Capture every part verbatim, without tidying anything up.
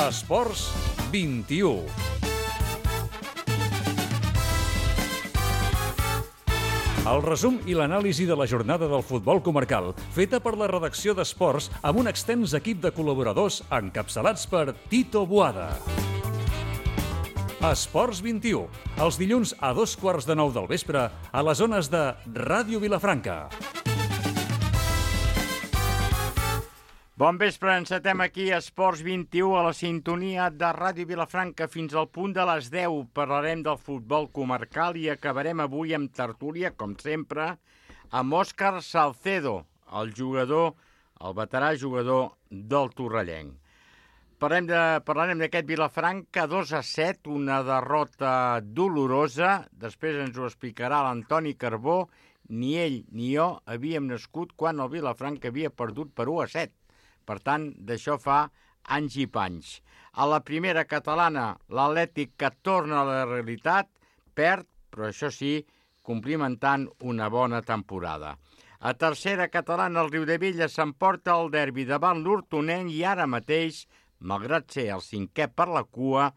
Esports vint-i-u. El resum i l'anàlisi de la jornada del futbol comarcal, feta per la redacció d'Esports amb un extens equip de col·laboradors encapçalats per Tito Boada. Esports vint-i-u, els dilluns a dos quarts de nou del vespre a les zones de Ràdio Vilafranca. Bon vespre, encetem aquí Esports vint-i-u a la sintonia de Ràdio Vilafranca fins al punt de les deu. Parlarem del futbol comarcal i acabarem avui amb tertúlia, com sempre, amb Òscar Salcedo, el jugador, el veterà jugador del Torrellenc. Parlem de, parlarem d'aquest Vilafranca dos a set, una derrota dolorosa. Després ens ho explicarà l'Antoni Carbó. Ni ell ni jo havíem nascut quan el Vilafranca havia perdut per u a set. Per tant, d'això fa anys i panys. A la primera catalana, l'Atlètic que torna a la realitat, perd, però això sí, complimentant una bona temporada. A tercera catalana, el Riudevella s'emporta el derbi davant l'Hortonenc i ara mateix, malgrat ser el cinquè per la cua,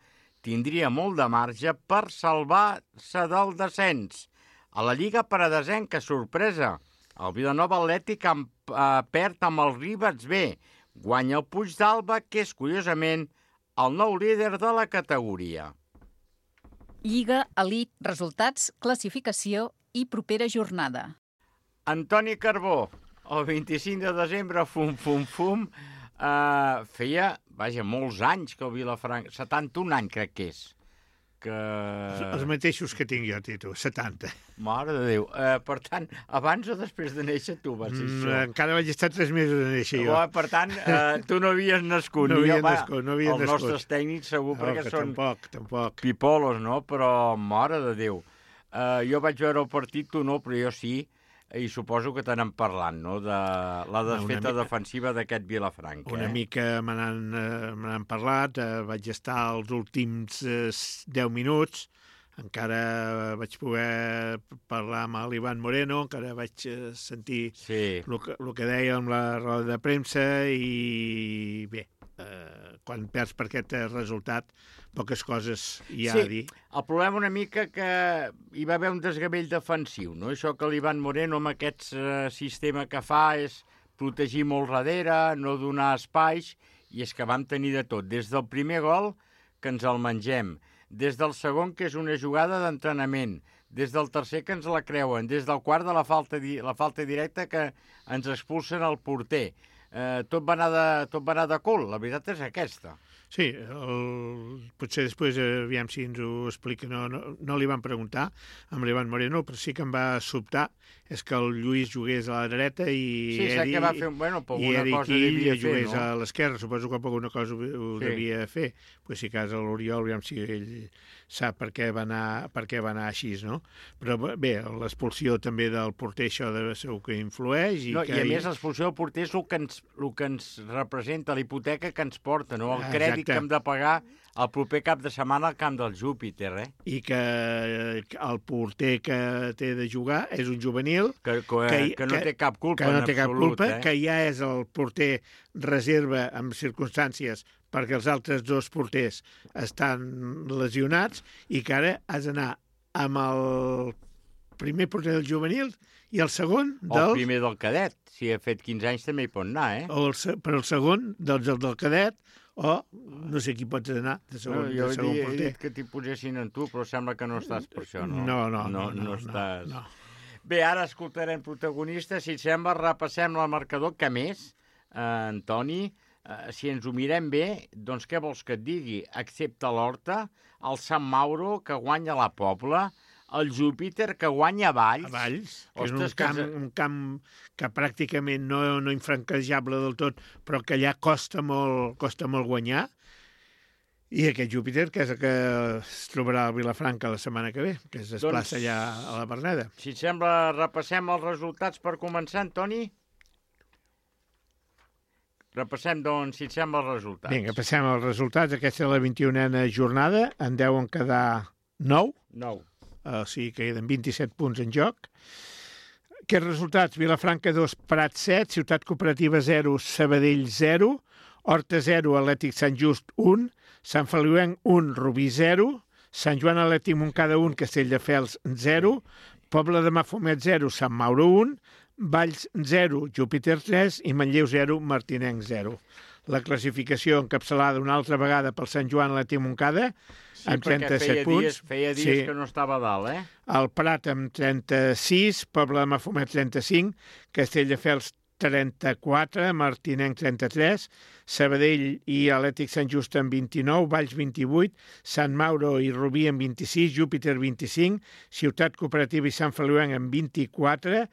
tindria molt de marge per salvar-se del descens. A la Lliga Paradesenca, sorpresa, el Vilanova Atlètic eh, perd amb el Ribes B, guanya el Puigdàlber, que és, curiosament, el nou líder de la categoria. Lliga, Elite, resultats, classificació i propera jornada. Antoni Carbó, el vint-i-cinc de desembre, fum, fum, fum, eh, feia, vaja, molts anys que el Vilafranca, setanta-un anys crec que és, que... Els mateixos que tinc jo, Tito, setanta. Mare de Déu. Eh, per tant, abans o després de néixer tu vas dir això? Mm, encara vaig estar tres mesos de néixer jo. Oh, per tant, eh, tu no havies nascut. No havia va, nascut, no havia els nascut. nostres tècnics segur, No, perquè que són tampoc, tampoc. pipolos, no? Però, mare de Déu. Eh, jo vaig veure el partit, tu no, però jo sí, i suposo que t'anem parlant, no?, de la desfeta mica, defensiva d'aquest Vilafranca. Una eh? mica me n'han eh, parlat, eh, vaig estar els últims eh, deu minuts, encara vaig poder parlar amb l'Ivan Moreno, encara vaig eh, sentir sí. el, que, el que deia amb la roda de premsa i bé, eh, quan perds per aquest resultat, poques coses hi ha sí, a dir. El problema una mica que hi va haver un desgavell defensiu, no? Això que l'Ivan Moreno amb aquest eh, sistema que fa és protegir molt darrere, no donar espais, i és que vam tenir de tot. Des del primer gol, que ens el mengem, des del segon, que és una jugada d'entrenament, des del tercer, que ens la creuen, des del quart, de la falta, di la falta directa, que ens expulsen el porter. Eh, tot, va anar de, tot va anar de cul, la veritat és aquesta. Sí, el, potser després, aviam si ens ho explica, no, no, no li van preguntar amb l'Ivan Moreno, però sí que em va sobtar és que el Lluís jugués a la dreta i sí, Eric, que va fer, bueno, i Eric Ill jugués no? a l'esquerra, suposo que alguna cosa ho sí. devia fer, pues si cas a l'Oriol, aviam si ell sap per què va anar, per què va anar així, no? Però bé, l'expulsió també del porter, això de segur que influeix. I, no, que i a més l'expulsió del porter és el que ens, el que ens representa, la hipoteca que ens porta, no? El crèdit Exacte. Que hem de pagar el proper cap de setmana al camp del Júpiter, eh? I que el porter que té de jugar és un juvenil que, que, que, que no té cap culpa, que no en té absolut, cap culpa, eh? que ja és el porter reserva en circumstàncies perquè els altres dos porters estan lesionats i que ara has d'anar amb el primer porter del juvenil i el segon del... O el primer del cadet, si ha fet quinze anys també hi pot anar, eh? O el, però el segon doncs el del cadet o no sé qui pots anar de segon, no, jo de segon he, porter. he dit que t'hi posessin en tu, però sembla que no estàs per això, no? No, no, no, no, no, no, estàs... no. Bé, ara escoltarem protagonistes. Si et sembla, repassem el marcador. Que més, eh, Antoni, eh, si ens ho mirem bé, doncs què vols que et digui? Excepte l'Horta, el Sant Mauro, que guanya la Pobla, el Júpiter, que guanya a Valls. A Valls, que Ostres, és un camp, que... un camp que pràcticament no, no infranquejable del tot, però que allà costa molt, costa molt guanyar. I aquest Júpiter, que és el que es trobarà a Vilafranca la setmana que ve, que es desplaça doncs, allà a la Berneda. Si et sembla, repassem els resultats per començar, Antoni? Repassem, doncs, si et sembla, els resultats. Vinga, passem als resultats. Aquesta és la vint-i-unena jornada. En deuen quedar nou. Nou. O sigui que queden vint-i-set punts en joc. Aquests resultats, Vilafranca dos, Prat set, Ciutat Cooperativa zero, Sabadell zero, Horta zero, Atlètic Sant Just un, Sant Feliuenc un, Rubí zero, Sant Joan Atlètic Montcada un, Castelldefels zero, Pobla de Mafumet zero, Sant Mauro un, Valls zero, Júpiter tres i Manlleu zero, Martinenc zero. La classificació encapçalada una altra vegada pel Sant Joan Atlètic Montcada, sí, amb trenta-set feia punts. Dies, feia dies sí. que no estava a dalt, eh? El Prat amb trenta-sis, Pobla de Mafumet trenta-cinc, Castelldefels trenta-quatre, Martinenc trenta-tres, Sabadell i Atlètic Sant Just amb vint-i-nou, Valls vint-i-vuit, Sant Mauro i Rubí amb vint-i-sis, Júpiter vint-i-cinc, Ciutat Cooperativa i Sant Feliuenc amb vint-i-quatre,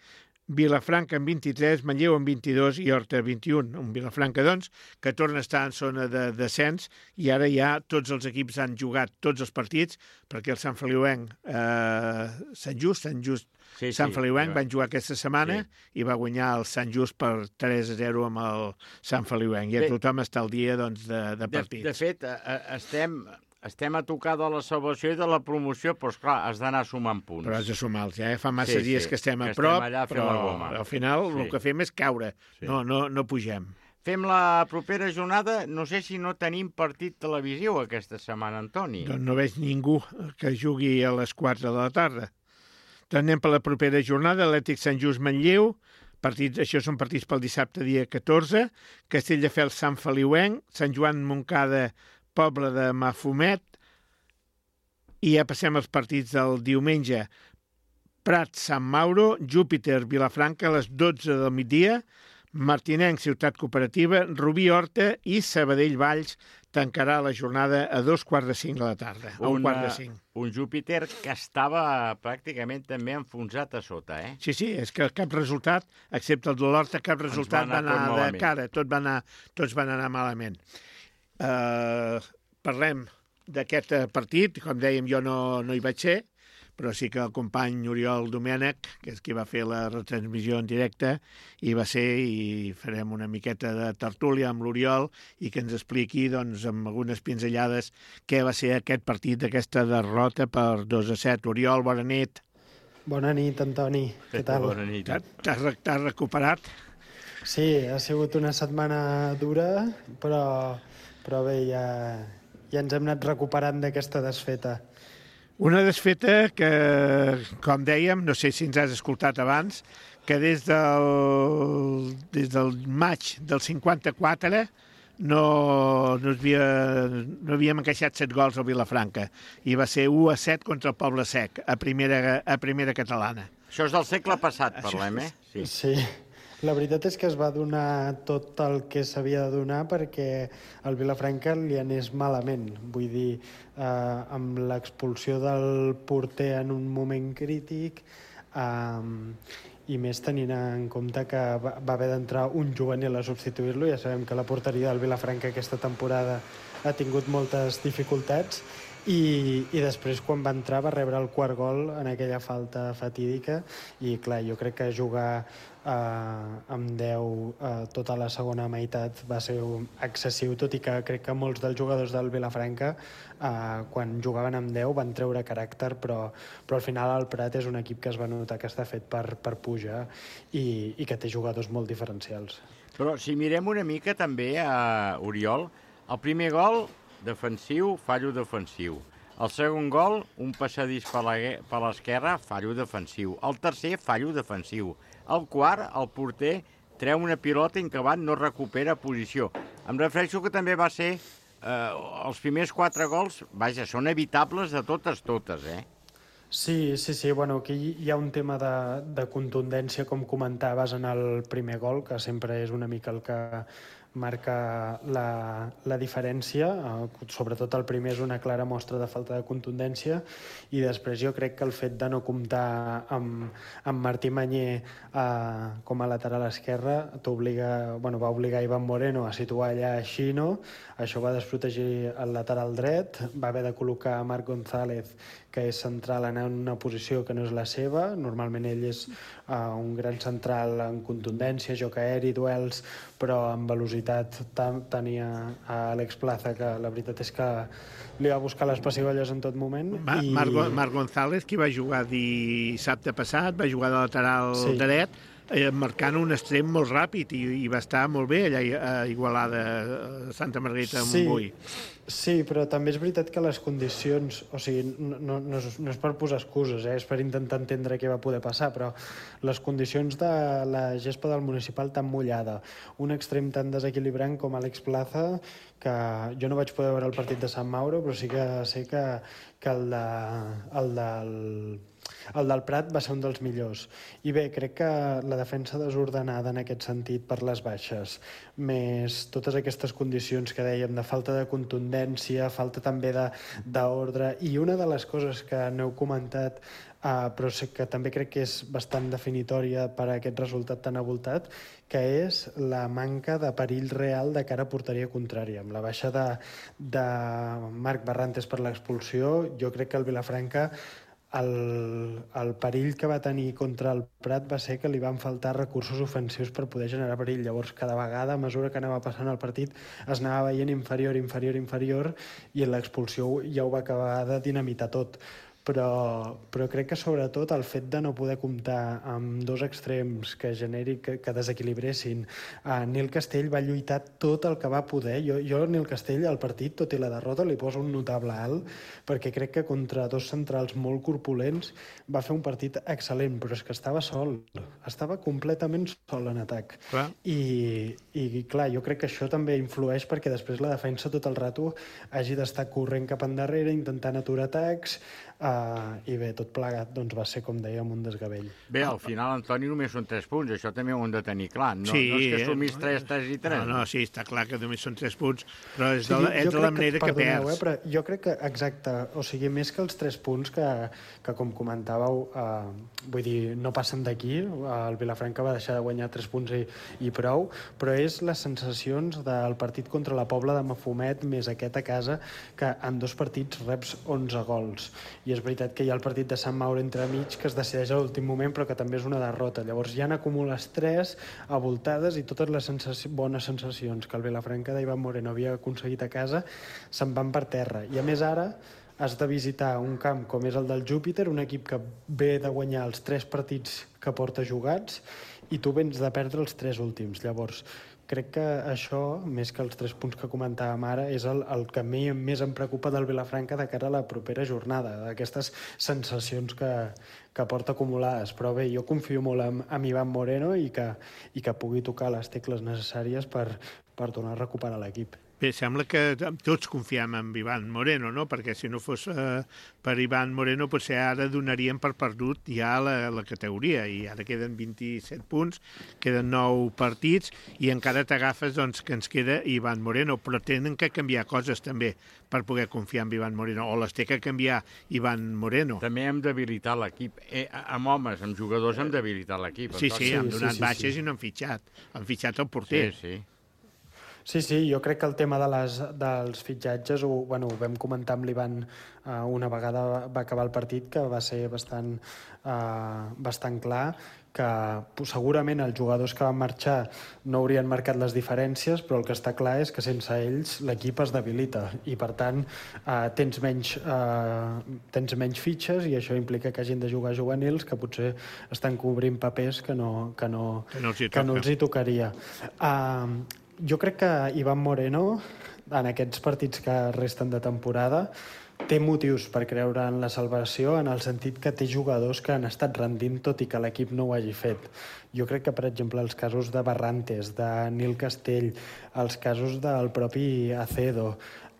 Vilafranca amb vint-i-tres, Manlleu amb vint-i-dos i Horta vint-i-un. Un Vilafranca, doncs, que torna a estar en zona de descens i ara ja tots els equips han jugat tots els partits perquè el Sant Feliuenc, eh, Sant Just, Sant Just, sí, Sant sí, Feliuenc sí, van jugar aquesta setmana sí. i va guanyar el Sant Just per tres a zero amb el Sant Feliuenc. I a tothom està al dia doncs, de, de partits. De, de fet, estem... Estem a tocar de la salvació i de la promoció, però, esclar, has d'anar sumant punts. Però has de sumar-los, ja. Eh? Fa massa sí, dies sí, que estem a que prop, estem allà però goma. al final sí. el que fem és caure. Sí. No, no, no pugem. Fem la propera jornada. No sé si no tenim partit televisiu aquesta setmana, Antoni. Doncs no veig ningú que jugui a les quatre de la tarda. Doncs anem per la propera jornada. Atlètic Sant Just Manlleu. Partits, això són partits pel dissabte, dia catorze. Castelldefels Sant Feliuenc. Sant Joan Montcada, Pobla de Mafumet. I ja passem als partits del diumenge. Prat, Sant Mauro, Júpiter, Vilafranca, a les dotze del migdia, Martinenc, Ciutat Cooperativa, Rubí, Horta i Sabadell, Valls tancarà la jornada a dos quarts de cinc de la tarda, a un, un quart de cinc. Un Júpiter que estava pràcticament també enfonsat a sota, eh? Sí, sí, és que cap resultat, excepte el de l'Horta, cap resultat va anar, va anar de cara, tot va anar, tots van anar malament. Uh, parlem d'aquest partit, com dèiem, jo no, no hi vaig ser, però sí que el company Oriol Domènech, que és qui va fer la retransmissió en directe, hi va ser i farem una miqueta de tertúlia amb l'Oriol i que ens expliqui, doncs, amb algunes pinzellades, què va ser aquest partit, aquesta derrota per dos a set. Oriol, bona nit. Bona nit, Antoni. Què tal? Bona nit. T'has recuperat? Sí, ha sigut una setmana dura, però, però bé, ja... ja ens hem anat recuperant d'aquesta desfeta. Una desfeta que, com dèiem, no sé si ens has escoltat abans, que des del, des del maig del cinquanta-quatre no, no, havia, no havíem encaixat set gols al Vilafranca i va ser u a set contra el Poble Sec a primera, a primera catalana. Això és del segle passat, parlem, eh? Sí. sí. La veritat és que es va donar tot el que s'havia de donar perquè al Vilafranca li anés malament. Vull dir, eh, amb l'expulsió del porter en un moment crític eh, i més tenint en compte que va, va haver d'entrar un juvenil a substituir-lo. Ja sabem que la porteria del Vilafranca aquesta temporada ha tingut moltes dificultats i, i després quan va entrar va rebre el quart gol en aquella falta fatídica i clar, jo crec que jugar Uh, amb deu uh, tota la segona meitat va ser excessiu, tot i que crec que molts dels jugadors del Vilafranca uh, quan jugaven amb deu van treure caràcter, però, però al final el Prat és un equip que es va notar que està fet per, per pujar i, i que té jugadors molt diferencials. Però si mirem una mica també a uh, Oriol, el primer gol defensiu, fallo defensiu. El segon gol, un passadís per l'esquerra, fallo defensiu. El tercer, fallo defensiu. El quart, el porter treu una pilota i en acabat no recupera posició. Em refereixo que també va ser eh, els primers quatre gols, vaja, són evitables de totes, totes, eh? Sí, sí, sí. Bueno, aquí hi ha un tema de, de contundència, com comentaves en el primer gol, que sempre és una mica el que marca la, la diferència, eh, sobretot el primer és una clara mostra de falta de contundència i després jo crec que el fet de no comptar amb, amb Martí Mañé eh, com a lateral esquerra t'obliga, bueno, va obligar Ivan Moreno a situar allà Xino, això va desprotegir el lateral dret, va haver de col·locar Marc González, que és central en una posició que no és la seva, normalment ell és uh, un gran central en contundència, joc aeri, duels, però amb velocitat tenia a Àlex Plaza, que la veritat és que li va buscar les pessigolles en tot moment. Ma i... Marc, Marc González, qui va jugar dissabte passat, va jugar de lateral sí. dret, marcant un extrem molt ràpid i, i va estar molt bé allà a Igualada, a Santa Margarita de Montbui. Sí, però també és veritat que les condicions, o sigui, no, no, no, és, no és per posar excuses, eh? És per intentar entendre què va poder passar, però les condicions de la gespa del Municipal tan mullada, un extrem tan desequilibrant com Àlex Plaza, que jo no vaig poder veure el partit de Sant Mauro, però sí que sé que, que el, de, el del... El del Prat va ser un dels millors. I bé, crec que la defensa desordenada en aquest sentit per les baixes, més totes aquestes condicions que dèiem de falta de contundència, falta també d'ordre, i una de les coses que n'heu comentat, uh, però que també crec que és bastant definitòria per a aquest resultat tan avoltat, que és la manca de perill real de cara a porteria contrària. Amb la baixa de, de Marc Barrantes per l'expulsió, jo crec que el Vilafranca El, el perill que va tenir contra el Prat va ser que li van faltar recursos ofensius per poder generar perill. Llavors, cada vegada, a mesura que anava passant el partit, es anava veient inferior, inferior, inferior, i l'expulsió ja ho va acabar de dinamitar tot. Però, però crec que sobretot el fet de no poder comptar amb dos extrems que generi, que, que desequilibressin. Uh, Nil Castell va lluitar tot el que va poder. Jo, jo Nil Castell al partit, tot i la derrota, li poso un notable alt, perquè crec que contra dos centrals molt corpulents va fer un partit excel·lent, però és que estava sol, estava completament sol en atac. Clar. I, i clar, jo crec que això també influeix perquè després la defensa tot el rato hagi d'estar corrent cap endarrere, intentant aturar atacs. Uh, I bé, tot plegat doncs, va ser, com dèiem, un desgavell. Bé, al final, Antoni, només són tres punts. Això també ho hem de tenir clar. No, sí, no és que sumis tres, tres i tres. No, no, sí, està clar que només són tres punts, però és de la, sí, és de la manera que, que perds. Eh, però jo crec que, exacte, o sigui, més que els tres punts que, que com comentàveu, uh, vull dir, no passen d'aquí, el Vilafranca va deixar de guanyar tres punts i, i prou, però és les sensacions del partit contra la Pobla de Mafumet més aquest a casa, que en dos partits reps onze gols. I és veritat que hi ha el partit de Sant Mauro entremig que es decideix a l'últim moment, però que també és una derrota. Llavors ja n'acumules tres avoltades i totes les sensaci... bones sensacions que el Vilafranca d'Ivan Moreno havia aconseguit a casa se'n van per terra. I a més ara has de visitar un camp com és el del Júpiter, un equip que ve de guanyar els tres partits que porta jugats i tu vens de perdre els tres últims. Llavors, crec que això, més que els tres punts que comentàvem ara, és el, el que més em preocupa del Vilafranca de cara a la propera jornada, d'aquestes sensacions que, que porta acumulades. Però bé, jo confio molt en, en Ivan Moreno i que, i que pugui tocar les tecles necessàries per, per tornar a recuperar l'equip. Bé, sembla que tots confiem en Ivan Moreno, no? Perquè si no fos eh, per Ivan Moreno, potser ara donaríem per perdut ja la, la categoria, i ara queden vint-i-set punts, queden nou partits, i encara t'agafes doncs, que ens queda Ivan Moreno, però tenen que canviar coses també per poder confiar en Ivan Moreno, o les té que canviar Ivan Moreno. També hem d'habilitar l'equip. Eh, amb homes, amb jugadors, hem d'habilitar l'equip. Sí, sí, han donat sí, sí, baixes sí. i no han fitxat. Han fitxat el porter. Sí, sí. Sí, sí, jo crec que el tema de les, dels fitxatges ho, bueno, ho vam comentar amb l'Ivan uh, una vegada va acabar el partit, que va ser bastant, uh, bastant clar, que segurament els jugadors que van marxar no haurien marcat les diferències, però el que està clar és que sense ells l'equip es debilita i per tant uh, tens, menys, uh, tens menys fitxes i això implica que hagin de jugar juvenils que potser estan cobrint papers que no, que no, que no els hi, que no els hi tocaria. Uh, Jo crec que Ivan Moreno, en aquests partits que resten de temporada, té motius per creure en la salvació, en el sentit que té jugadors que han estat rendint tot i que l'equip no ho hagi fet. Jo crec que, per exemple, els casos de Barrantes, de Nil Castell, els casos del propi Acedo,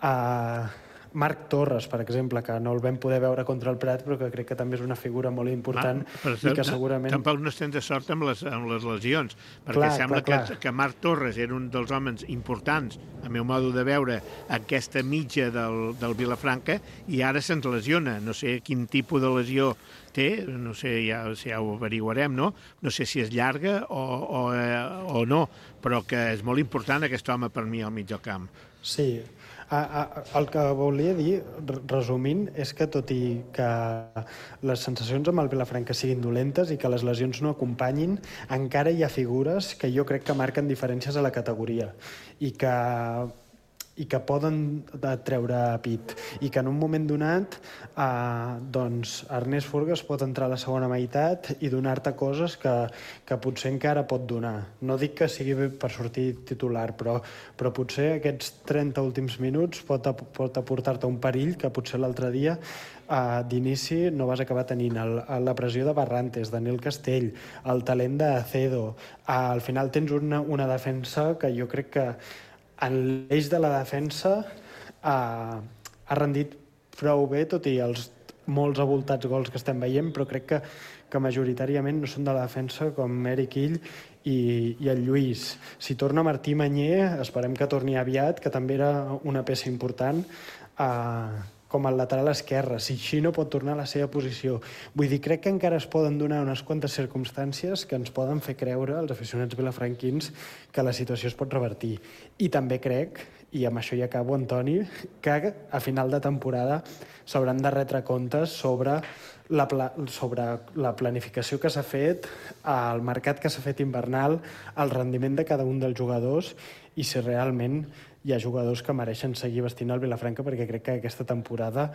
eh, Marc Torres, per exemple, que no el vam poder veure contra el Prat, però que crec que també és una figura molt important ah, i que segurament... Tampoc no estem de sort amb les, amb les lesions, perquè clar, sembla clar, que, clar. que Marc Torres era un dels homes importants, a meu modo de veure, aquesta mitja del, del Vilafranca, i ara se'ns lesiona. No sé quin tipus de lesió té, no sé, ja, ja ho averiguarem, no? No sé si és llarga o, o, eh, o no, però que és molt important aquest home per mi al mig del camp. Sí, el que volia dir, resumint, és que tot i que les sensacions amb el Vilafranca siguin dolentes i que les lesions no acompanyin, encara hi ha figures que jo crec que marquen diferències a la categoria i que, i que poden treure pit i que en un moment donat eh, doncs Ernest Forgas pot entrar a la segona meitat i donar-te coses que, que potser encara pot donar. No dic que sigui per sortir titular, però, però potser aquests trenta últims minuts pot, pot aportar-te un perill que potser l'altre dia Uh, d'inici no vas acabar tenint el, la pressió de Barrantes, Daniel Castell, el talent d'Acedo. Uh, al final tens una, una defensa que jo crec que en l'eix de la defensa uh, ha rendit prou bé, tot i els molts avoltats gols que estem veient, però crec que, que majoritàriament no són de la defensa com Eric Ill i, i el Lluís. Si torna Martí Manyer, esperem que torni aviat, que també era una peça important, uh, com el lateral esquerre, si Xino pot tornar a la seva posició. Vull dir, crec que encara es poden donar unes quantes circumstàncies que ens poden fer creure, als aficionats vilafranquins, que la situació es pot revertir. I també crec, i amb això ja acabo, Antoni, que a final de temporada s'hauran de retre comptes sobre la, pla sobre la planificació que s'ha fet, el mercat que s'ha fet invernal, el rendiment de cada un dels jugadors i si realment hi ha jugadors que mereixen seguir vestint el Vilafranca, perquè crec que aquesta temporada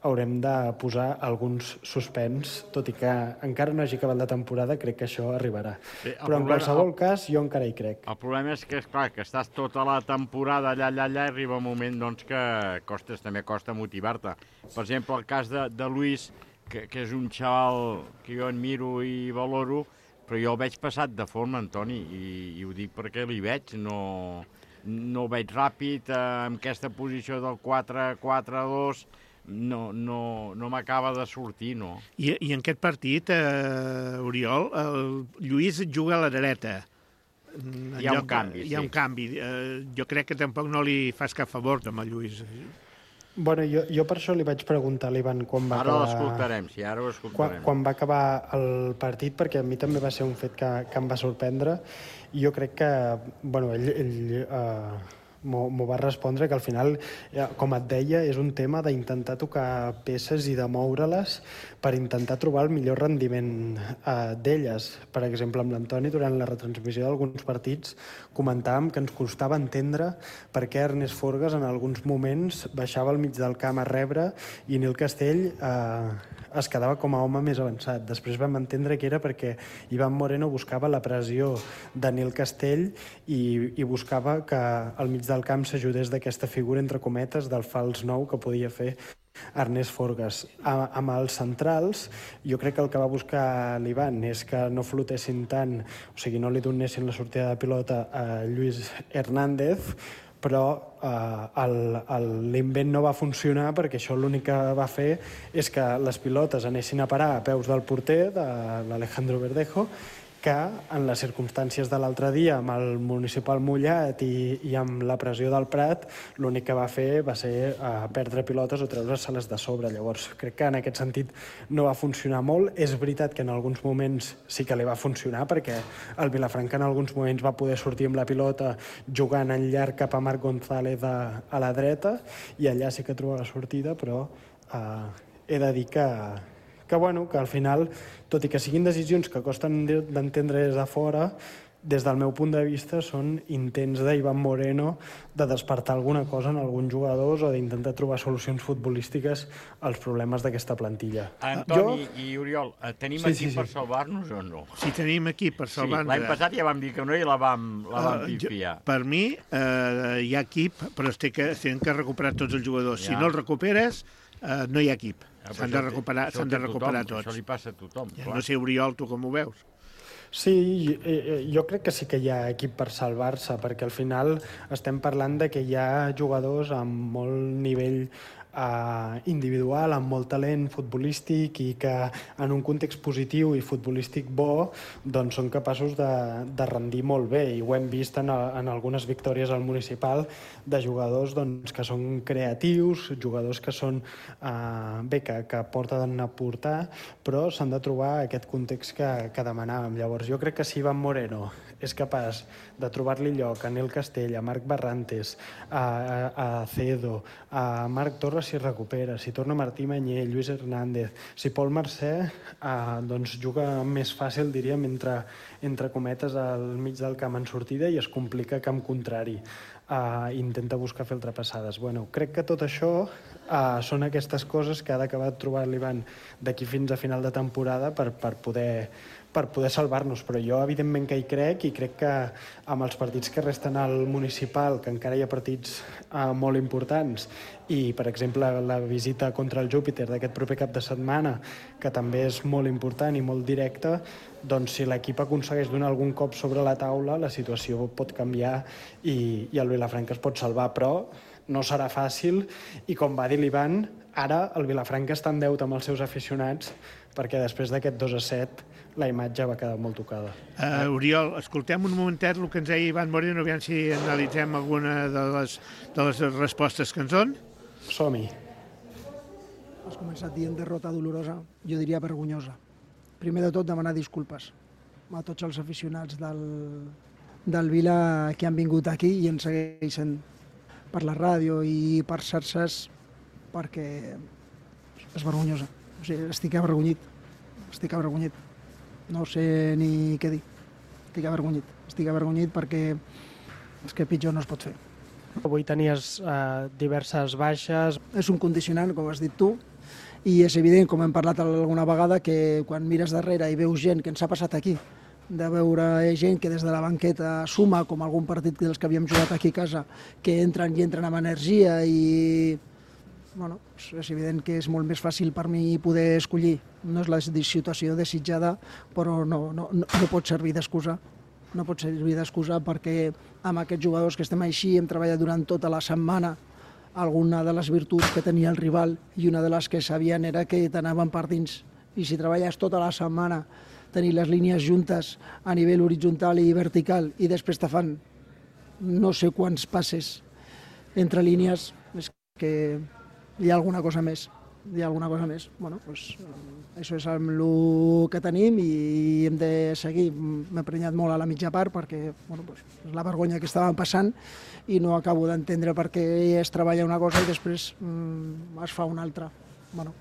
haurem de posar alguns suspens, tot i que encara no hagi acabat la temporada, crec que això arribarà. Sí, però en problema, qualsevol el, cas jo encara hi crec. El problema és que, esclar, que estàs tota la temporada allà, allà, allà, i arriba un moment doncs, que costes, també costa motivar-te. Per exemple, el cas de, de Luis, que, que és un xaval que jo admiro i valoro, però jo el veig passat de forma, Antoni, i, i ho dic perquè li veig, no... no ho veig ràpid, eh, amb aquesta posició del quatre quatre dos, no, no, no m'acaba de sortir, no. I, i en aquest partit, eh, Oriol, el Lluís juga a la dreta. Hi ha un canvi, Hi ha sí. un canvi. Eh, jo crec que tampoc no li fas cap favor, amb el Lluís. Bueno, jo, jo per això li vaig preguntar a l'Ivan quan va ara acabar... Ara l'escoltarem, sí, ara ho escoltarem. Quan, quan va acabar el partit, perquè a mi també va ser un fet que, que em va sorprendre, i jo crec que, bueno, ell, ell uh, m'ho va respondre que al final, com et deia, és un tema d'intentar tocar peces i de moure-les per intentar trobar el millor rendiment uh, d'elles. Per exemple, amb l'Antoni, durant la retransmissió d'alguns partits, comentàvem que ens costava entendre per què Ernest Forgas en alguns moments baixava al mig del camp a rebre i Nil Castell eh, es quedava com a home més avançat. Després vam entendre que era perquè Ivan Moreno buscava la pressió de Nil Castell i, i buscava que al mig del camp s'ajudés d'aquesta figura, entre cometes, del fals nou que podia fer Ernest Forgas. A, amb els centrals, jo crec que el que va buscar l'Ivan és que no flotessin tant, o sigui, no li donessin la sortida de pilota a Lluís Hernández, però eh, l'invent no va funcionar perquè això l'únic que va fer és que les pilotes anessin a parar a peus del porter, de l'Alejandro Verdejo, que en les circumstàncies de l'altre dia amb el municipal mullat i, i amb la pressió del Prat, l'únic que va fer va ser uh, perdre pilotes o treure-se-les de sobre. Llavors, crec que en aquest sentit no va funcionar molt. És veritat que en alguns moments sí que li va funcionar, perquè el Vilafranca en alguns moments va poder sortir amb la pilota jugant en llarg cap a Marc González a, a la dreta, i allà sí que troba la sortida, però uh, he de dir que que, bueno, que al final, tot i que siguin decisions que costen d'entendre des de fora, des del meu punt de vista són intents d'Ivan Moreno de despertar alguna cosa en alguns jugadors o d'intentar trobar solucions futbolístiques als problemes d'aquesta plantilla. Antoni jo... i Oriol, tenim sí, equip sí, sí. per salvar-nos o no? Sí, tenim equip per salvar-nos. Sí, l'any passat ja vam dir que no i la vam, la vam uh, pifiar. Jo, per mi uh, hi ha equip, però es té que, es tenen que recuperar tots els jugadors. Ja. Si no els recuperes, uh, no hi ha equip. S'han de recuperar, s'han de recuperar tots. Això li passa a tothom. Ja, no sé, Oriol, tu com ho veus? Sí, jo crec que sí que hi ha equip per salvar-se, perquè al final estem parlant de que hi ha jugadors amb molt nivell uh, individual, amb molt talent futbolístic i que en un context positiu i futbolístic bo doncs són capaços de, de rendir molt bé, i ho hem vist en, a, en algunes victòries al municipal de jugadors doncs, que són creatius, jugadors que són uh, bé, que, que porten a portar, però s'han de trobar aquest context que, que demanàvem. Llavors jo crec que si Ivan Moreno és capaç de trobar-li lloc a Nil Castell, a Marc Barrantes, a, a, a Cedo, a Marc Torres si recupera, si torna Martí Manyer, Lluís Hernández, si Pol Mercè eh, doncs juga més fàcil, diríem, entre, entre cometes al mig del camp en sortida i es complica camp contrari. Uh, intenta buscar fer ultrapassades. Bueno, crec que tot això uh, són aquestes coses que ha d'acabar trobant l'Ivan d'aquí fins a final de temporada per, per poder, per poder salvar-nos, però jo evidentment que hi crec i crec que amb els partits que resten al municipal, que encara hi ha partits uh, molt importants, i per exemple la visita contra el Júpiter d'aquest proper cap de setmana, que també és molt important i molt directa, doncs si l'equip aconsegueix donar algun cop sobre la taula, la situació pot canviar i, i el Vilafranca es pot salvar, però no serà fàcil i com va dir l'Ivan, ara el Vilafranca està en deute amb els seus aficionats perquè després d'aquest dos a set la imatge va quedar molt tocada. Uh, Oriol, escoltem un momentet el que ens deia Ivan Moreno, aviam si analitzem alguna de les, de les respostes que ens donen. Som-hi. Has començat dient derrota dolorosa, jo diria vergonyosa. Primer de tot, demanar disculpes a tots els aficionats del, del Vila que han vingut aquí i ens segueixen per la ràdio i per xarxes perquè és vergonyosa. O sigui, estic avergonyit, estic avergonyit. No sé ni què dir. Estic avergonyit. Estic avergonyit perquè és que pitjor no es pot fer. Avui tenies eh, diverses baixes. És un condicionant, com has dit tu, i és evident, com hem parlat alguna vegada, que quan mires darrere i veus gent que ens ha passat aquí, de veure gent que des de la banqueta suma, com algun partit dels que havíem jugat aquí a casa, que entren i entren amb energia i... Bueno, és evident que és molt més fàcil per mi poder escollir. No és la situació desitjada, però no, no, no, no pot servir d'excusa. No pot servir d'excusa perquè amb aquests jugadors que estem així hem treballat durant tota la setmana alguna de les virtuts que tenia el rival i una de les que sabien era que t'anaven per dins. I si treballes tota la setmana, tenir les línies juntes a nivell horitzontal i vertical i després te fan no sé quants passes entre línies, és que hi ha alguna cosa més. Hi ha alguna cosa més. Bueno, doncs, això és el que tenim i hem de seguir. M'he prenyat molt a la mitja part perquè bueno, doncs, és la vergonya que estàvem passant i no acabo d'entendre per què es treballa una cosa i després mm, es fa una altra. Bueno,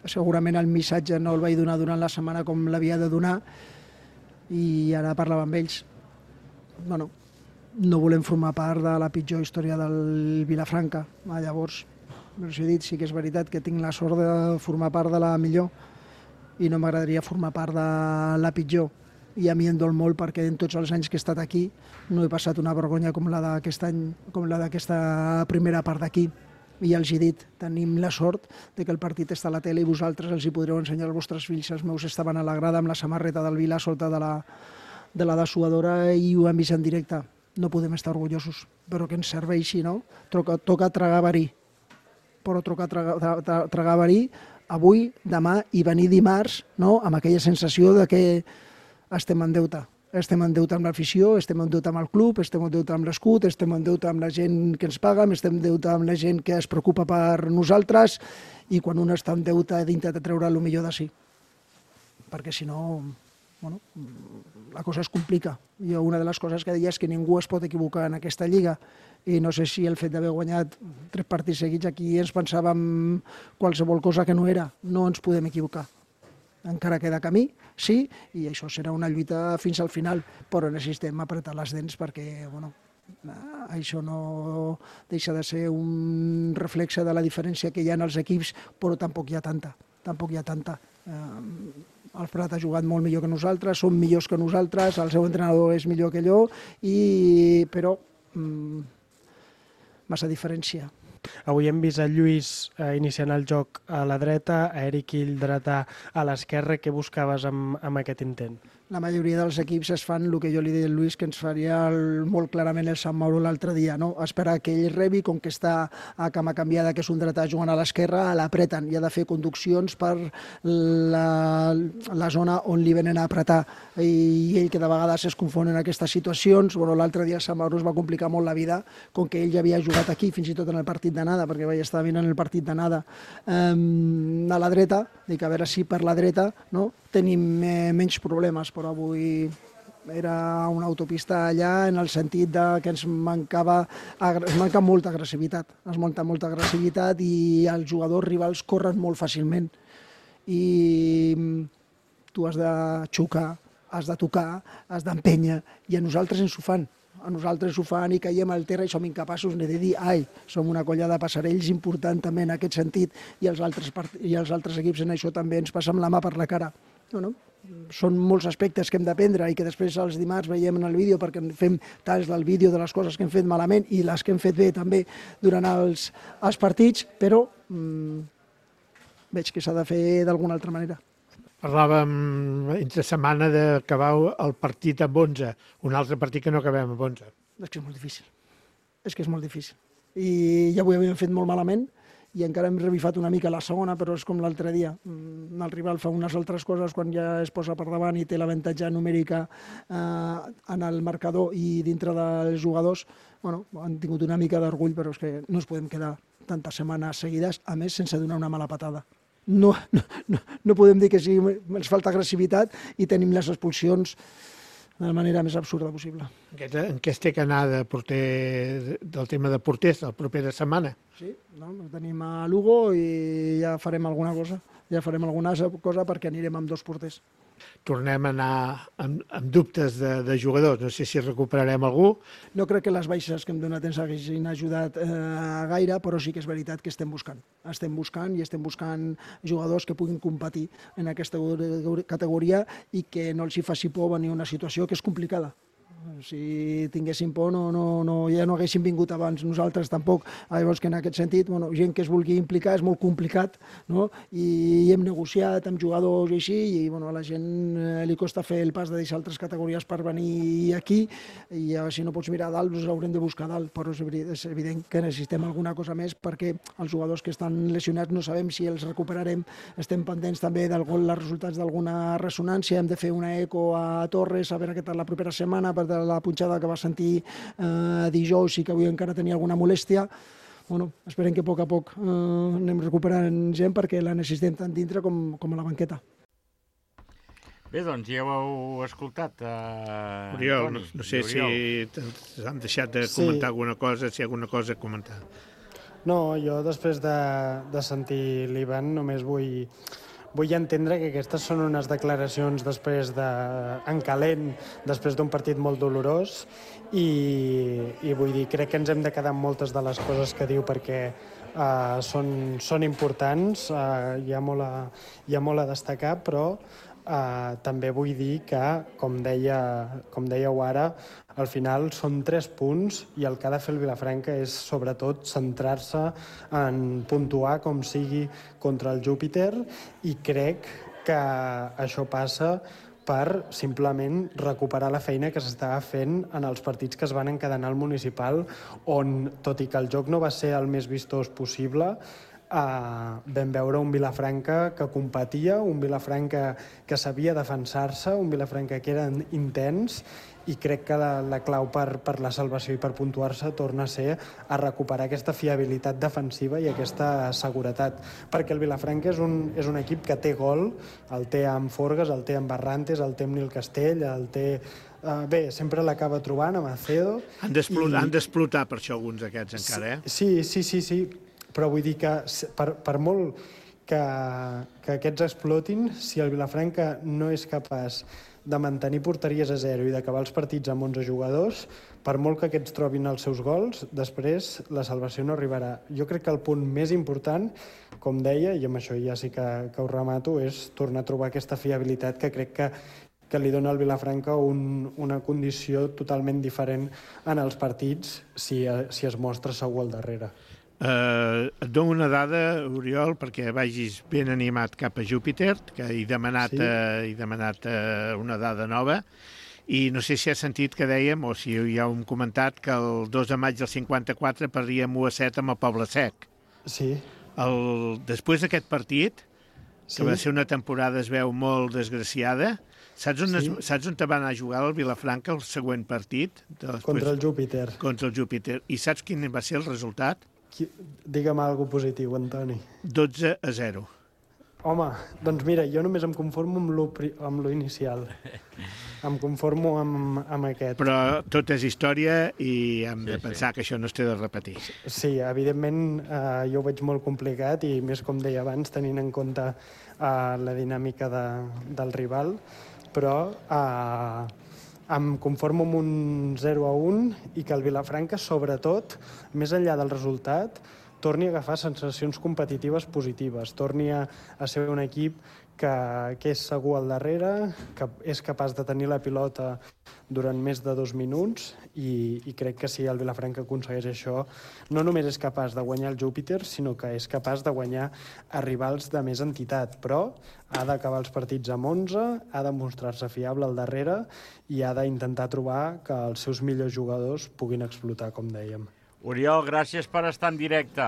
segurament el missatge no el vaig donar durant la setmana com l'havia de donar i ara parlava amb ells. Bueno, no volem formar part de la pitjor història del Vilafranca. Llavors, però si he dit, sí que és veritat que tinc la sort de formar part de la millor i no m'agradaria formar part de la pitjor. I a mi em dol molt perquè en tots els anys que he estat aquí no he passat una vergonya com la d'aquest any, com la d'aquesta primera part d'aquí. I els he dit, tenim la sort de que el partit està a la tele i vosaltres els hi podreu ensenyar als vostres fills. Els meus estaven a la grada amb la samarreta del Vila sota de la, de la dessuadora i ho han vist en directe. No podem estar orgullosos, però que ens serveixi, no? Toca, toca tragar verí. Però toca tragar, tra, tragar verí avui, demà i venir dimarts, no? Amb aquella sensació de que estem en deute. Estem en deute amb l'afició, estem en deute amb el club, estem en deute amb l'escut, estem en deute amb la gent que ens paga, estem en deute amb la gent que es preocupa per nosaltres i quan un està en deute ha d'intentar treure el millor de si. Perquè si no, bueno, la cosa es complica. Jo una de les coses que deia és que ningú es pot equivocar en aquesta lliga i no sé si el fet d'haver guanyat tres partits seguits aquí ens pensàvem qualsevol cosa que no era. No ens podem equivocar. Encara queda camí, sí, i això serà una lluita fins al final, però necessitem apretar les dents perquè, bueno, això no deixa de ser un reflexe de la diferència que hi ha en els equips, però tampoc hi ha tanta, tampoc hi ha tanta. El Prat ha jugat molt millor que nosaltres, són millors que nosaltres, el seu entrenador és millor que allò, i, però mmm, massa diferència. Avui hem vist a Lluís eh, iniciant el joc a la dreta, a Eric Ill dretà a l'esquerra. Què buscaves amb, amb aquest intent? La majoria dels equips es fan el que jo li deia a Lluís, que ens faria el, molt clarament el Sant Mauro l'altre dia, no? Esperar que ell rebi, com que està a cama canviada, que és un dretà jugant a l'esquerra, l'apreten i ha de fer conduccions per la, la zona on li venen a apretar. I ell, que de vegades es confon en aquestes situacions, bueno, l'altre dia el Sant Mauro es va complicar molt la vida, com que ell ja havia jugat aquí, fins i tot en el partit d'anada, perquè vaig estar mirant el partit d'anada um, a la dreta, dic a veure si per la dreta no, tenim eh, menys problemes, però avui era una autopista allà en el sentit de que ens mancava, ens manca molta agressivitat, ens manca molta agressivitat i els jugadors rivals corren molt fàcilment i tu has de xocar, has de tocar, has d'empènyer i a nosaltres ens ho fan. A nosaltres ho fan i caiem al terra i som incapaços de dir ai, som una colla de passarells important també en aquest sentit i els altres, i els altres equips en això també ens passem la mà per la cara. No, no? Són molts aspectes que hem d'aprendre i que després els dimarts veiem en el vídeo perquè fem talls del vídeo de les coses que hem fet malament i les que hem fet bé també durant els, els partits, però mmm, veig que s'ha de fer d'alguna altra manera. Parlàvem entre setmana d'acabar el partit amb onze, un altre partit que no acabem amb onze. És que és molt difícil, és que és molt difícil. I ja ho havíem fet molt malament i encara hem revifat una mica la segona, però és com l'altre dia. El rival fa unes altres coses quan ja es posa per davant i té l'avantatge numèrica eh, en el marcador i dintre dels jugadors. Bueno, han tingut una mica d'orgull, però és que no ens podem quedar tantes setmanes seguides, a més sense donar una mala patada. No, no, no, no podem dir que sí, ens falta agressivitat i tenim les expulsions de la manera més absurda possible. En què es té que anar de porter, del tema de porters la propera setmana? Sí, no? Tenim a Lugo i ja farem alguna cosa, ja farem alguna cosa perquè anirem amb dos porters. Tornem a anar amb, amb dubtes de, de jugadors, no sé si recuperarem algú. No crec que les baixes que hem donat ens haguessin ajudat eh, gaire, però sí que és veritat que estem buscant. Estem buscant i estem buscant jugadors que puguin competir en aquesta categoria i que no els hi faci por venir una situació que és complicada. Si tinguéssim por no, no, no, ja no haguéssim vingut abans, nosaltres tampoc. Llavors que en aquest sentit, bueno, gent que es vulgui implicar és molt complicat, no? I hem negociat amb jugadors i així, i bueno, a la gent eh, li costa fer el pas de deixar altres categories per venir aquí, i ja, si no pots mirar a dalt, doncs haurem de buscar a dalt, però és evident que necessitem alguna cosa més perquè els jugadors que estan lesionats no sabem si els recuperarem, estem pendents també dels resultats d'alguna ressonància, hem de fer una eco a Torres, a veure què tal la propera setmana, per la punxada que va sentir eh, dijous i que avui encara tenia alguna molèstia. Bueno, esperem que a poc a poc eh, anem recuperant gent perquè la necessitem tant dintre com, com a la banqueta. Bé, doncs ja ho heu escoltat, eh, Oriol, Toni. no, no sé Oriol. Si han deixat de comentar sí. alguna cosa, si hi ha alguna cosa a comentar. No, jo després de, de sentir l'Ivan només vull... Vull entendre que aquestes són unes declaracions després de, en calent, després d'un partit molt dolorós i, i vull dir, crec que ens hem de quedar amb moltes de les coses que diu perquè uh, són, són importants, uh, hi ha molt a, hi ha molt a destacar, però uh, també vull dir que, com, deia, com dèieu ara, al final són tres punts i el que ha de fer el Vilafranca és sobretot centrar-se en puntuar com sigui contra el Júpiter i crec que això passa per simplement recuperar la feina que s'estava fent en els partits que es van encadenar al municipal on, tot i que el joc no va ser el més vistós possible, Uh, vam veure un Vilafranca que competia, un Vilafranca que sabia defensar-se, un Vilafranca que era intens i crec que la, la clau per, per la salvació i per puntuar-se torna a ser a recuperar aquesta fiabilitat defensiva i aquesta seguretat, perquè el Vilafranca és un, és un equip que té gol, el té amb Forgas, el té amb Barrantes, el té amb Nil Castell, el té... Uh, bé, sempre l'acaba trobant amb Acedo. Han d'explotar i... per això alguns d'aquests encara, eh? Sí, sí, sí, sí. Però vull dir que per, per molt que, que aquests explotin, si el Vilafranca no és capaç de mantenir porteries a zero i d'acabar els partits amb onze jugadors, per molt que aquests trobin els seus gols, després la salvació no arribarà. Jo crec que el punt més important, com deia, i amb això ja sí que, que ho remato, és tornar a trobar aquesta fiabilitat que crec que que li dona al Vilafranca un, una condició totalment diferent en els partits si, si es mostra segur al darrere. Uh, et dono una dada, Oriol, perquè vagis ben animat cap a Júpiter, que he demanat, sí. uh, he demanat uh, una dada nova, i no sé si has sentit que dèiem, o si ja ho hem comentat, que el dos de maig del cinquanta-quatre perdíem u a set amb el Poble Sec. Sí. El, després d'aquest partit, que sí. va ser una temporada, es veu, molt desgraciada, saps on, sí. es, saps on te va anar a jugar el Vilafranca el següent partit? Després, contra el Júpiter. Contra el Júpiter. I saps quin va ser el resultat? Digue'm alguna cosa positiu, Antoni. dotze a zero. Home, doncs mira, jo només em conformo amb lo, amb lo inicial. Em conformo amb, amb aquest. Però tot és història i hem de sí, pensar sí. que això no es té de repetir. Sí, evidentment eh, jo ho veig molt complicat i més com deia abans, tenint en compte eh, la dinàmica de, del rival, però eh, em conformo amb un zero a un i que el Vilafranca, sobretot, més enllà del resultat, torni a agafar sensacions competitives positives, torni a, a ser un equip que, que és segur al darrere, que és capaç de tenir la pilota durant més de dos minuts i, i crec que si el Vilafranca aconsegueix això, no només és capaç de guanyar el Júpiter, sinó que és capaç de guanyar a rivals de més entitat, però ha d'acabar els partits amb onze, ha de mostrar-se fiable al darrere i ha d'intentar trobar que els seus millors jugadors puguin explotar, com dèiem. Oriol, gràcies per estar en directe.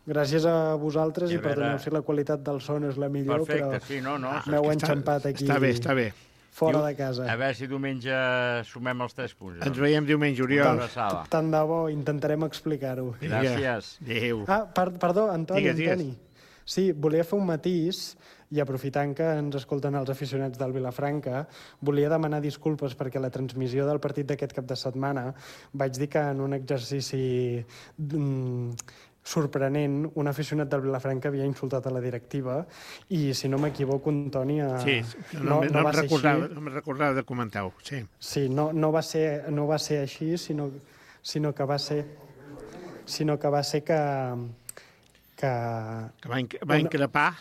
Gràcies a vosaltres i, I i veure... perdoneu si la qualitat del son és la millor, Perfecte, però sí, no, no. m'heu enxampat aquí. Està bé, està bé. Fora Diu, de casa. A veure si diumenge sumem els tres punts. Ens veiem diumenge, Oriol. Tant, tant de bo, intentarem explicar-ho. Gràcies. Adéu. Ah, per, perdó, Antoni, digues, digues. Antoni. Sí, volia fer un matís i aprofitant que ens escolten els aficionats del Vilafranca, volia demanar disculpes perquè a la transmissió del partit d'aquest cap de setmana vaig dir que en un exercici mm, sorprenent, un aficionat del Vilafranca havia insultat a la directiva i, si no m'equivoco, Antoni... Eh, Sí, no, no, no, no, recordava, no me recordava de comentar-ho, sí. Sí, no, no, va ser, no va ser així, sinó, sinó que va ser sinó que va ser que... que, que va, inc va increpar...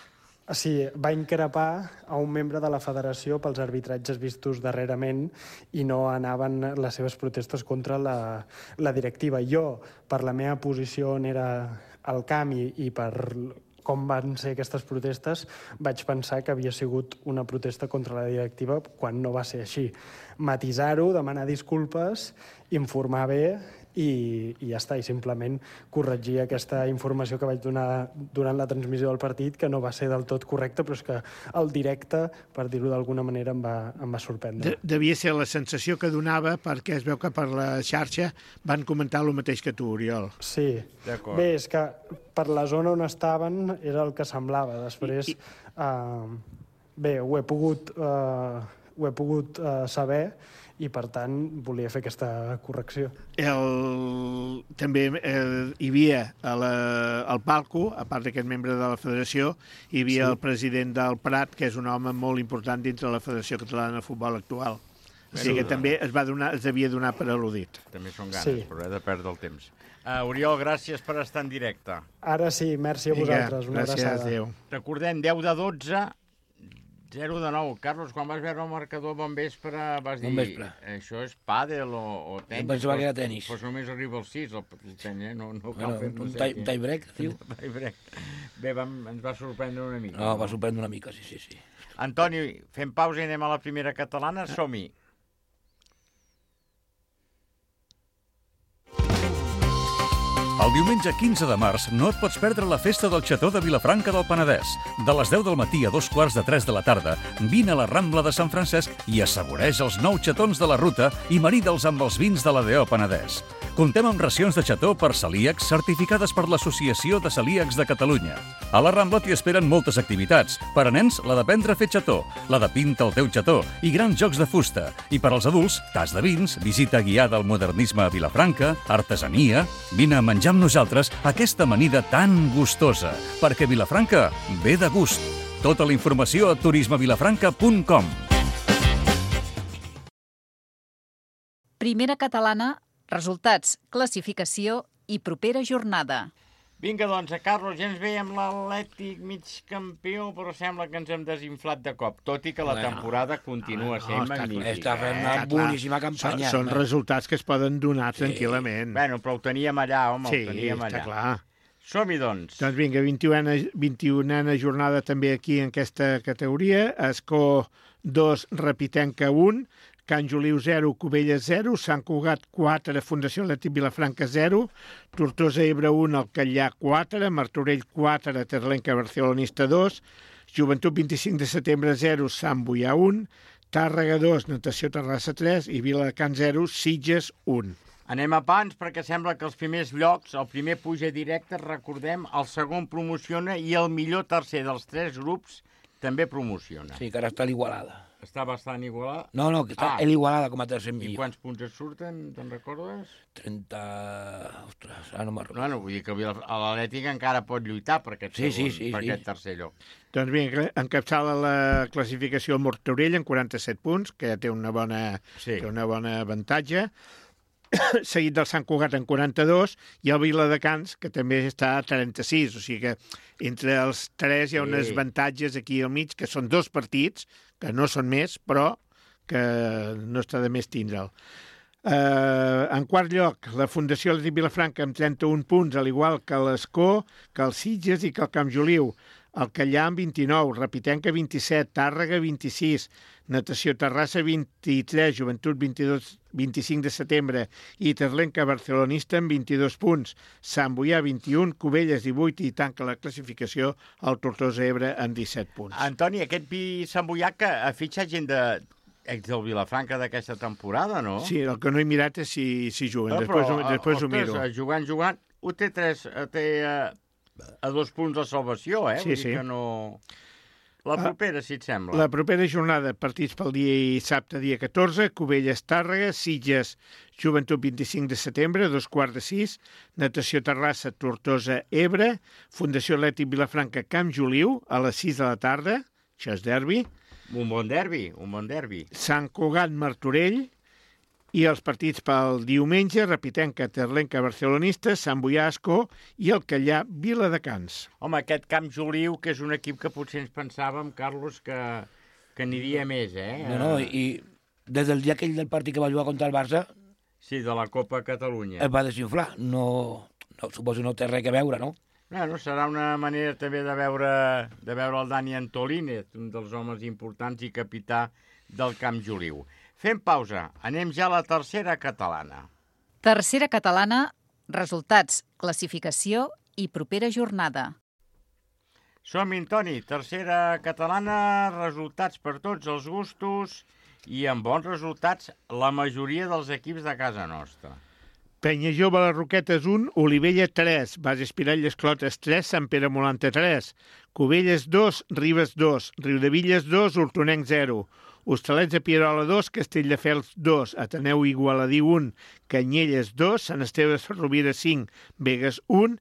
Sí, va increpar a un membre de la federació pels arbitratges vistos darrerament i no anaven les seves protestes contra la, la directiva. Jo, per la meva posició on era al camp i, i per com van ser aquestes protestes, vaig pensar que havia sigut una protesta contra la directiva quan no va ser així. Matisar-ho, demanar disculpes, informar bé i, i ja està, i simplement corregir aquesta informació que vaig donar durant la transmissió del partit, que no va ser del tot correcta, però és que el directe, per dir-ho d'alguna manera, em va, em va sorprendre. De, devia ser la sensació que donava, perquè es veu que per la xarxa van comentar el mateix que tu, Oriol. Sí. Bé, és que per la zona on estaven era el que semblava. Després, I, i... Uh, bé, ho he pogut, uh, ho he pogut uh, saber, i, per tant, volia fer aquesta correcció. El... També eh, hi havia a la... al palco, a part d'aquest membre de la federació, hi havia sí. el president del Prat, que és un home molt important dintre la Federació Catalana de Futbol actual. O sigui sí, que també es, va donar, es devia donar per al·ludit. També són ganes, sí. però he de perdre el temps. Uh, Oriol, gràcies per estar en directe. Ara sí, merci a vosaltres. Una gràcies, abraçada. adéu. Recordem, deu de dotze, zero de nou. Carlos, quan vas veure el marcador bon vespre, vas dir... Bon vespre. Això és pàdel o, o tenis? Jo pensava que era tenis. Doncs només arriba al sis, el tenis, eh? No, no Bueno, cal fer un tie, tie break, diu? tie break. Bé, vam, ens va sorprendre una mica. No, va sorprendre una mica, sí, sí, sí. Antoni, fem pausa i anem a la primera catalana. Som-hi. El diumenge quinze de març no et pots perdre la festa del Xató de Vilafranca del Penedès. De les deu del matí a dos quarts de tres de la tarda, vine a la Rambla de Sant Francesc i assaboreix els nou xatons de la ruta i marida'ls amb els vins de l'A D O Penedès. Comptem amb racions de xató per celíacs certificades per l'Associació de Celíacs de Catalunya. A la Rambla t'hi esperen moltes activitats. Per a nens, la d'aprendre a fer xató, la de pinta el teu xató i grans jocs de fusta. I per als adults, tas de vins, visita guiada al modernisme a Vilafranca, artesania... Vine a menjar amb nosaltres aquesta amanida tan gustosa, perquè Vilafranca ve de gust. Tota la informació a turisme vilafranca punt com. Primera catalana, resultats, classificació i propera jornada. Vinga, doncs, a Carlos, ja ens veiem l'Atlètic mig campió, però sembla que ens hem desinflat de cop, tot i que la temporada continua sent no, magnífica. Està fent una Eh, boníssima campanya. Són, són resultats que es poden donar Sí. tranquil·lament. Bueno, però ho teníem allà, home, Sí, ho teníem allà. està clar. Som-hi, doncs. Doncs vinga, vint-i-unena jornada també aquí en aquesta categoria. Escó dos, Repitenca un, Can Joliu zero, Cubelles zero, Sant Cugat quatre, Fundació Atlètic Vilafranca zero, Tortosa Ebre un, Alcallà quatre, Martorell quatre, Terlenca Barcelonista dos, Joventut vint-i-cinc de setembre zero, Sant Boià un, Tàrrega dos, Natació Terrassa tres i Viladecans zero, Sitges un. Anem a pans perquè sembla que els primers llocs, el primer puja directe, recordem, el segon promociona i el millor tercer dels tres grups també promociona. Sí, que ara està l'Igualada. Està bastant igualat. No, no, que està Ah. l'Igualada com a tercer I millor. quants punts et surten, te'n recordes? trenta... Ostres, ara no me'n recordo. Bueno, vull dir que el Vila- l'Atlètic encara pot lluitar per aquest, Sí, segon, sí, sí, per sí. aquest tercer lloc. Doncs bé, encapçala la classificació el Martorell amb quaranta-set punts, que ja té una bona, Sí. té una bona avantatge, seguit del Sant Cugat en quaranta-dos, i el Viladecans, que també està a trenta-sis, o sigui que entre els tres hi ha unes Sí. avantatges aquí al mig, que són dos partits, que no són més, però que no està de més tindre'l. Uh, en quart lloc, la Fundació Atlètic Vilafranca amb trenta-un punts, al igual que l'Escó, que el Sitges i que el Camp Joliu. El Callà amb vint-i-nou, Repitenca vint-i-set, Tàrrega vint-i-sis, Natació Terrassa vint-i-tres, Joventut vint-i-dos, vint-i-cinc de setembre i Terlenca Barcelonista amb vint-i-dos punts, Sant Boià vint-i-un, Cubelles divuit i tanca la classificació el Tortosa Ebre amb disset punts. Antoni, aquest vi Sant Boià que ha fitxat gent de, ex del Vilafranca d'aquesta temporada, no? Sí, el que no he mirat és si, si juguen, Ah, després, però, després ho ostres, miro. jugant, jugant, ho té tres, eh, té a, a dos punts de salvació, eh? Sí, Vull dir sí. que no... La propera, si et sembla. La propera jornada, partits pel dia dissabte, dia catorze, Cubelles, Tàrrega, Sitges, Joventut vint-i-cinc de setembre, dos quarts de sis, Natació Terrassa, Tortosa, Ebre, Fundació Atlètic Vilafranca, Camp Joliu, a les sis de la tarda, això és derbi, Un bon derbi, un bon derbi. Sant Cugat, Martorell, i els partits pel diumenge, Repitenca, Terlenca, Barcelonista, Sant Boià, Ascó i el Callà, Viladecans. Home, aquest Camp Joliu, que és un equip que potser ens pensàvem, Carlos, que, que aniria més, eh? No, no, i des del dia aquell del partit que va jugar contra el Barça Sí, de la Copa Catalunya. es va desinflar. No, no, suposo no té res a veure, no? Bueno, serà una manera també de veure, de veure el Dani Antolínez, un dels homes importants i capità del Camp Joliu. Fem pausa. Anem ja a la tercera catalana. Tercera catalana, resultats, classificació i propera jornada. Som-hi, Toni. Tercera catalana, resultats per tots els gustos i amb bons resultats la majoria dels equips de casa nostra. Penya Jove, les Roquetes un, Olivella tres, Base Espirall i Esclotes tres, Sant Pere Molanta tres, Cubelles dos, Ribes dos, Riudevilles dos, Hortonenc zero, Hostalets de Pierola dos, Castelldefels dos, Ateneu Igualadí un, Canyelles dos, Sant Esteve de Rovira cinc, Begues un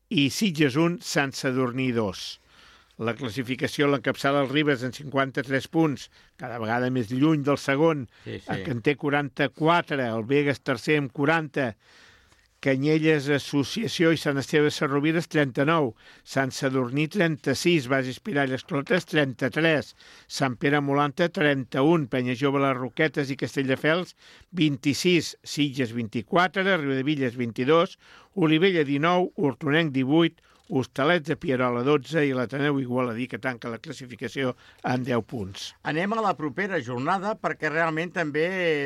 i Sitges un, Sant Sadurní dos. La classificació l'encapçala el Ribes en cinquanta-tres punts, cada vegada més lluny del segon, Sí, sí. el que en té quaranta-quatre, el Begues tercer amb quaranta, Canyelles Associació i Sant Esteve de Sarrovires trenta-nou, Sant Sadurní trenta-sis, Base Espirall Esclotes trenta-tres, Sant Pere Molanta trenta-un, Penya Jove les Roquetes i Castelldefels vint-i-sis, Sitges vint-i-quatre, Riudevilles vint-i-dos, Olivella dinou, Hortonenc divuit, Hostalets de Pierola dotze i l'Ateneu Igualadí que tanca la classificació en deu punts. Anem a la propera jornada perquè realment també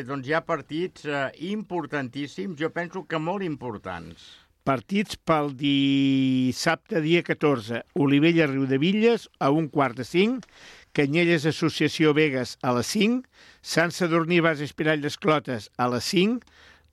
doncs, hi ha partits eh, importantíssims, jo penso que molt importants. Partits pel dissabte, dia catorze. Olivella Riudevilles a un quart de cinc, Canyelles Associació Begues a les cinc, Sant Sadurní Base Espirall d'Esclotes a les cinc,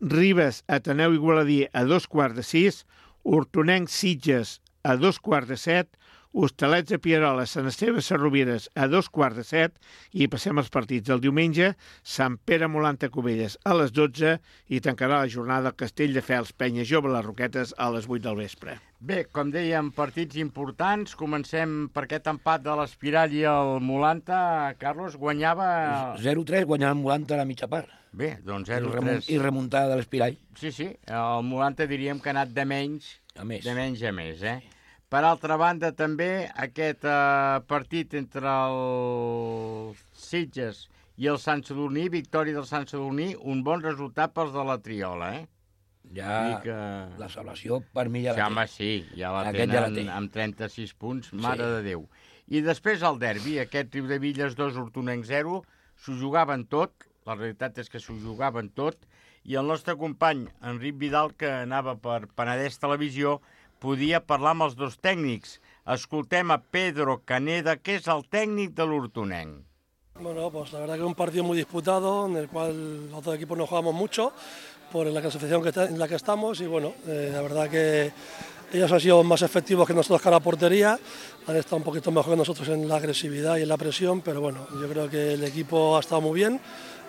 Ribes Ateneu Igualadí a dos quarts de sis, Hortonenc Sitges a dos quarts de set, Hostalets de Pierola, Sant Esteve de Sarrovires a dos quarts de set i passem als partits del diumenge, Sant Pere Molanta Cubelles a les dotze i tancarà la jornada el Castelldefels Penya Jove les Roquetes a les vuit del vespre. Bé, com dèiem, partits importants. Comencem per aquest empat de l'Espirall i el Molanta. Carlos guanyava... zero tres guanyava el Molanta a la mitja part. Bé, doncs I, zero remun tres. I remuntada de l'Espirall. Sí, sí, el Molanta diríem que ha anat de menys A més. de menys a més, eh? Per altra banda, també, aquest eh, partit entre el Sitges i el Sant Sadurní, victòria del Sant Sadurní, un bon resultat pels de la Triola, eh? Ja Vull dir que... la salvació per mi ja Sí, la home, té. sí, ja la Aquest tenen ja la té. amb trenta-sis punts, mare Sí. de Déu. I després el derbi, aquest Riudevilles dos, Hortonenc zero, s'ho jugaven tot, la realitat és que s'ho jugaven tot, i el nostre company, Enric Vidal, que anava per Penedès Televisió, podia parlar amb els dos tècnics. Escoltem a Pedro Caneda, que és el tècnic de l'Hortonenc. Bueno, pues la verdad que es un partido muy disputado, en el cual los dos equipos no jugamos mucho por la clasificación que está, en la que estamos y bueno, eh, la verdad que Ellos han sido más efectivos que nosotros cara a portería, han estado un poquito mejor que nosotros en la agresividad y en la presión, pero bueno, yo creo que el equipo ha estado muy bien.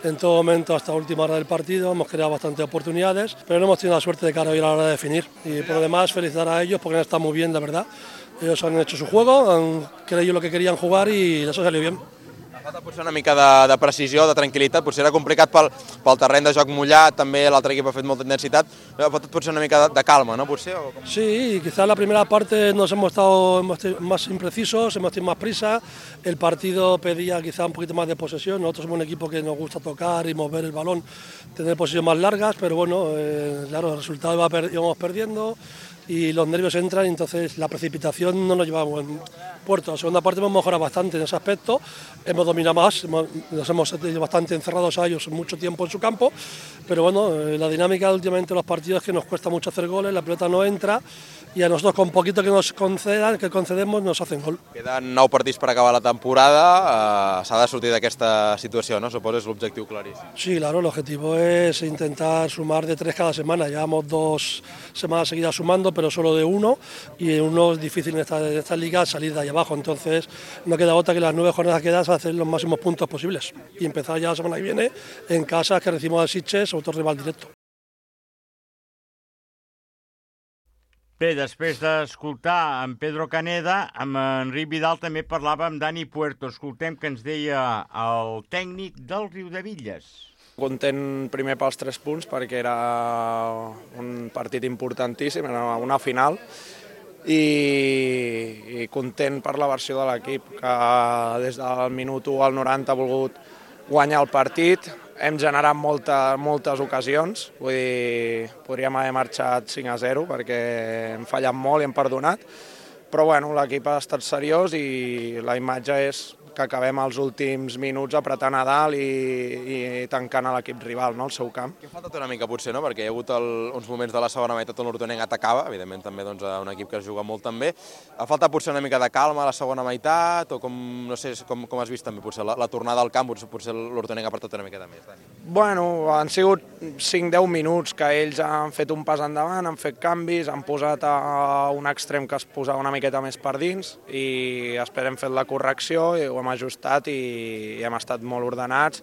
En todo momento, hasta la última hora del partido, hemos creado bastantes oportunidades, pero no hemos tenido la suerte de cara hoy a la hora de definir. Y por lo demás, felicitar a ellos porque han estado muy bien, la verdad. Ellos han hecho su juego, han creído lo que querían jugar y eso salió bien. Falta potser una mica de, de precisió, de tranquil·litat, potser era complicat pel, pel terreny de joc mullat, també l'altre equip ha fet molta intensitat, falta potser una mica de, de calma, ¿no? Potser, o com... Sí, quizás la primera parte nos hemos estado hemos más imprecisos, hemos tenido más prisa, el partido pedía quizá un poquito más de posesión, nosotros somos un equipo que nos gusta tocar y mover el balón, tener posiciones más largas, pero bueno, eh, claro, el resultado iba per, íbamos perdiendo y los nervios entran y entonces la precipitación no nos lleva a buen puerto. La segunda parte hemos mejorado bastante en ese aspecto, hemos dominado más, hemos, nos hemos tenido bastante encerrados a ellos mucho tiempo en su campo, pero bueno, eh, la dinámica últimamente de los partidos es que nos cuesta mucho hacer goles, la pelota no entra y a nosotros con poquito que nos concedan, que concedemos nos hacen gol. Queden nou partits per acabar la temporada, eh, s'ha de sortir d'aquesta situació, ¿no? Suposo és l'objectiu claríssim. Sí, claro, el objetivo es intentar sumar de tres cada semana, llevamos dos semanas seguidas sumando, pero solo de uno, y uno es difícil en esta, en esta liga salir de ahí abajo, entonces no queda otra que las nueve jornadas que quedan hacer los máximos puntos posibles y empezar ya la semana que viene en casa que recibimos al Sitges, otro rival directo. Bé, després d'escoltar en Pedro Caneda, amb Enric Vidal també parlava amb Dani Puerto. Escoltem que ens deia el tècnic del Riudebitlles. Content primer pels tres punts perquè era un partit importantíssim, era una final, i, i content per la versió de l'equip, que des del minut u al noranta ha volgut guanyar el partit. Hem generat molta, moltes ocasions, vull dir, podríem haver marxat cinc a zero perquè hem fallat molt i hem perdonat, però bueno, l'equip ha estat seriós i la imatge és que acabem els últims minuts apretant a dalt i, i tancant a l'equip rival, no?, al seu camp. Que ha faltat una mica potser, no?, perquè hi ha hagut el, uns moments de la segona meitat on l'Hortonenc atacava, evidentment també doncs, un equip que es juga molt també. Ha faltat potser una mica de calma a la segona meitat o com, no sé, com, com has vist també potser la, la tornada al camp, potser, potser l'Hortonenc ha apretat una mica més, Dani. Bueno, han sigut cinc a deu minuts que ells han fet un pas endavant, han fet canvis, han posat a un extrem que es posava una miqueta més per dins i després hem fet la correcció i ho hem ajustat i, i hem estat molt ordenats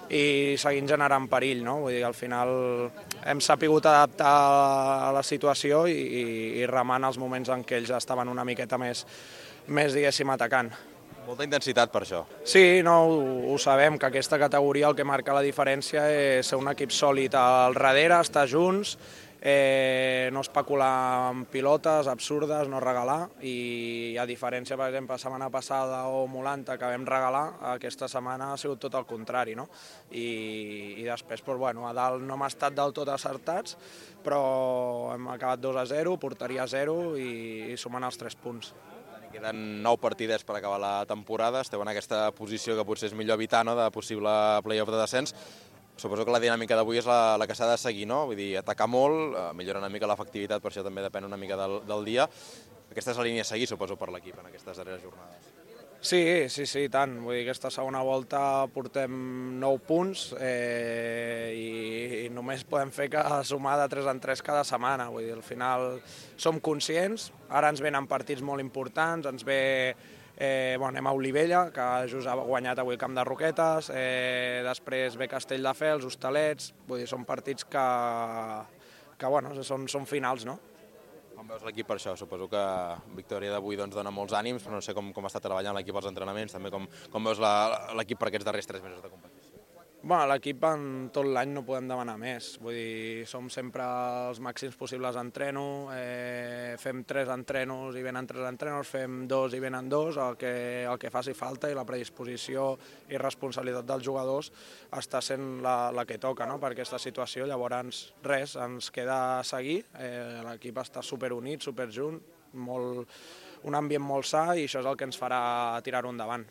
i seguint generant perill, no? Vull dir, al final hem sapigut adaptar a la situació i, i, i remant els moments en què ells estaven una miqueta més, més diguéssim, atacant. Molta intensitat per això. Sí, no, ho, ho sabem, que aquesta categoria el que marca la diferència és ser un equip sòlid al darrere, estar junts, eh, no especular amb pilotes absurdes, no regalar, i a diferència, per exemple, la setmana passada o Molanta que vam regalar, aquesta setmana ha sigut tot el contrari, no? I, i després, doncs, bueno, a dalt no hem estat del tot acertats, però hem acabat dos a zero, porteria zero i, i sumant els tres punts. Queden nou partidets per acabar la temporada, esteu en aquesta posició que potser és millor evitar, no?, de possible play-off de descens. Suposo que la dinàmica d'avui és la, la que s'ha de seguir, no? Vull dir, atacar molt, eh, millorar una mica l'efectivitat, per això també depèn una mica del, del dia. Aquesta és la línia a seguir, suposo, per l'equip en aquestes darreres jornades. Sí, sí, sí, tant. Vull dir, aquesta segona volta portem nou punts eh, i, i només podem fer que sumar de tres en tres cada setmana. Vull dir, al final som conscients, ara ens venen partits molt importants, ens ve... Eh, bueno, anem a Olivella, que just ha guanyat avui el Camp de Roquetes, eh, després ve Castelldefels, Hostalets, vull dir, són partits que, que bueno, són, són finals, no? Com veus l'equip per això? Suposo que victòria d'avui doncs, dona molts ànims, però no sé com, com està treballant l'equip als entrenaments, també com, com veus l'equip per aquests darrers tres mesos de competició. Bueno, l'equip en tot l'any no podem demanar més, vull dir, som sempre els màxims possibles d'entreno, eh, fem tres entrenos i venen tres entrenos, fem dos i venen dos, el que, el que faci falta i la predisposició i responsabilitat dels jugadors està sent la, la que toca, no?, per aquesta situació. Llavors, res, ens queda seguir, eh, l'equip està superunit, superjunt, molt, un ambient molt sa i això és el que ens farà tirar-ho endavant.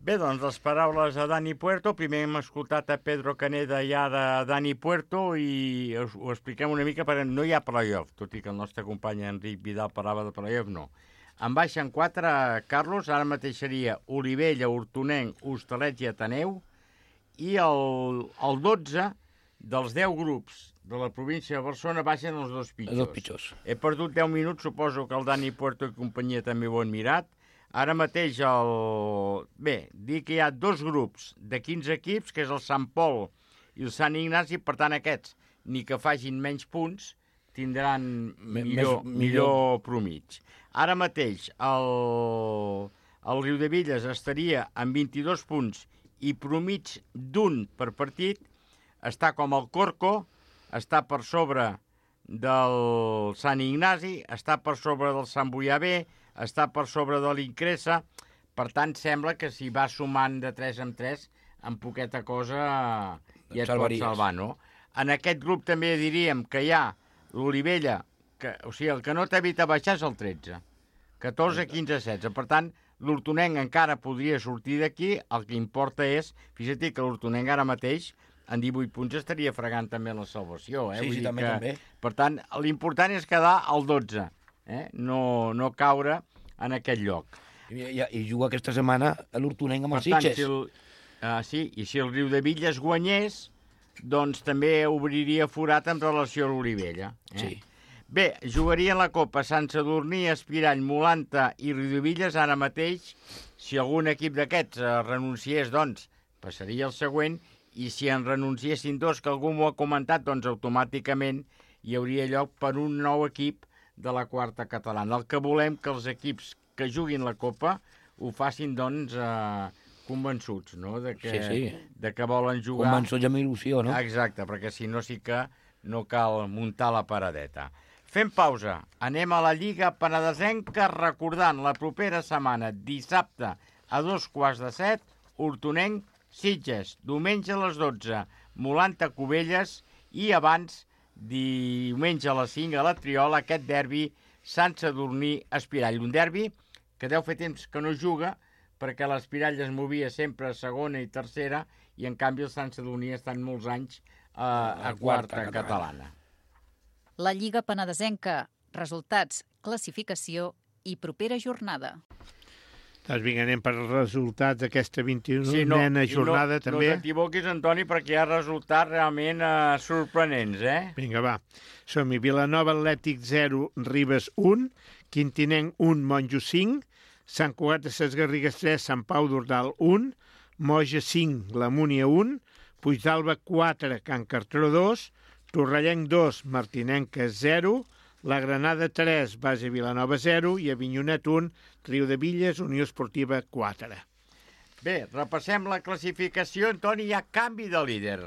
Bé, doncs les paraules de Dani Puerto. Primer hem escoltat a Pedro Caneda ja de Dani Puerto i us, ho expliquem una mica perquè no hi ha playoff, tot i que el nostre company Enric Vidal parlava de playoff, no. En baixen quatre, Carlos, ara mateix seria Olivella, Hortonenc, Hostalets i Ateneu, i el, el dotze dels deu grups de la província de Barcelona baixen els dos pitjors. Els dos pitjors. He perdut deu minuts, suposo que el Dani Puerto i companyia també ho han mirat. Ara mateix, el... bé, dir que hi ha dos grups de quinze equips, que és el Sant Pol i el Sant Ignasi, per tant aquests, ni que facin menys punts, tindran millor, Més, millor promig. Ara mateix, el, el Riudebitlles estaria amb vint-i-dos punts i promig d'un per partit, està com el Corco, està per sobre del Sant Ignasi, està per sobre del Sant Boiabé, està per sobre de l'Incresa, per tant sembla que si va sumant de tres en tres, en poqueta cosa ja et pot salvar, no? En aquest grup també diríem que hi ha l'Olivella, que, o sigui, el que no t'evita baixar és el tretze, catorze, quinze, setze, per tant, l'Hortonenc encara podria sortir d'aquí, el que importa és, fixa't que l'Hortonenc ara mateix, en divuit punts estaria fregant també la salvació, eh? Sí, Vull sí, dir també, que, també. Per tant, l'important és quedar al dotze, eh? no, no caure en aquest lloc. I, i, i juga aquesta setmana l'Hortonenc amb els Sitges. Si el, uh, sí, i si el Riudebitlles guanyés, doncs també obriria forat en relació a l'Olivella. Eh? Sí. Bé, jugarien la Copa Sant Sadurní, Espirall, Molanta i Riudebitlles ara mateix. Si algun equip d'aquests uh, renunciés, doncs, passaria el següent, i si en renunciessin dos, que algú m'ho ha comentat, doncs automàticament hi hauria lloc per un nou equip de la quarta catalana. El que volem que els equips que juguin la Copa ho facin, doncs, eh, convençuts, no?, de que, sí, sí. de que volen jugar. Convençuts amb il·lusió, no? Exacte, perquè si no sí que no cal muntar la paradeta. Fem pausa. Anem a la Lliga Penedesenca recordant la propera setmana, dissabte a dos quarts de set, Hortonenc, Sitges, diumenge a les dotze, Molanta, Cubelles, i abans, diumenge a les cinc a la Triola, aquest derbi Sant Sadurní Espirall. Un derbi que deu fer temps que no juga, perquè l'Espirall es movia sempre a segona i tercera, i en canvi el Sant Sadurní ha estat molts anys eh, a quarta catalana. La Lliga Penedesenca. Resultats, classificació i propera jornada. Doncs vinga, anem per els resultats d'aquesta vint-i-unena sí, no, jornada, no, també. No t'equivoquis, Antoni, perquè hi ha resultats realment eh, sorprenents, eh? Vinga, va. Som-hi. Vilanova Atlètic zero, Ribes un, Quintinenc un, Monjos cinc, Sant Cugat de Ses Garrigues tres, Sant Pau d'Ordal un, Moja cinc, La Múnia un, Puigdàlber quatre, Can Cartró dos, Torrellenc dos, Martinenca zero, La Granada tres, Base Vilanova zero i Avinyonet un, Riudebitlles, Unió Esportiva quatre. Bé, repassem la classificació. Antoni, hi ha canvi de líder.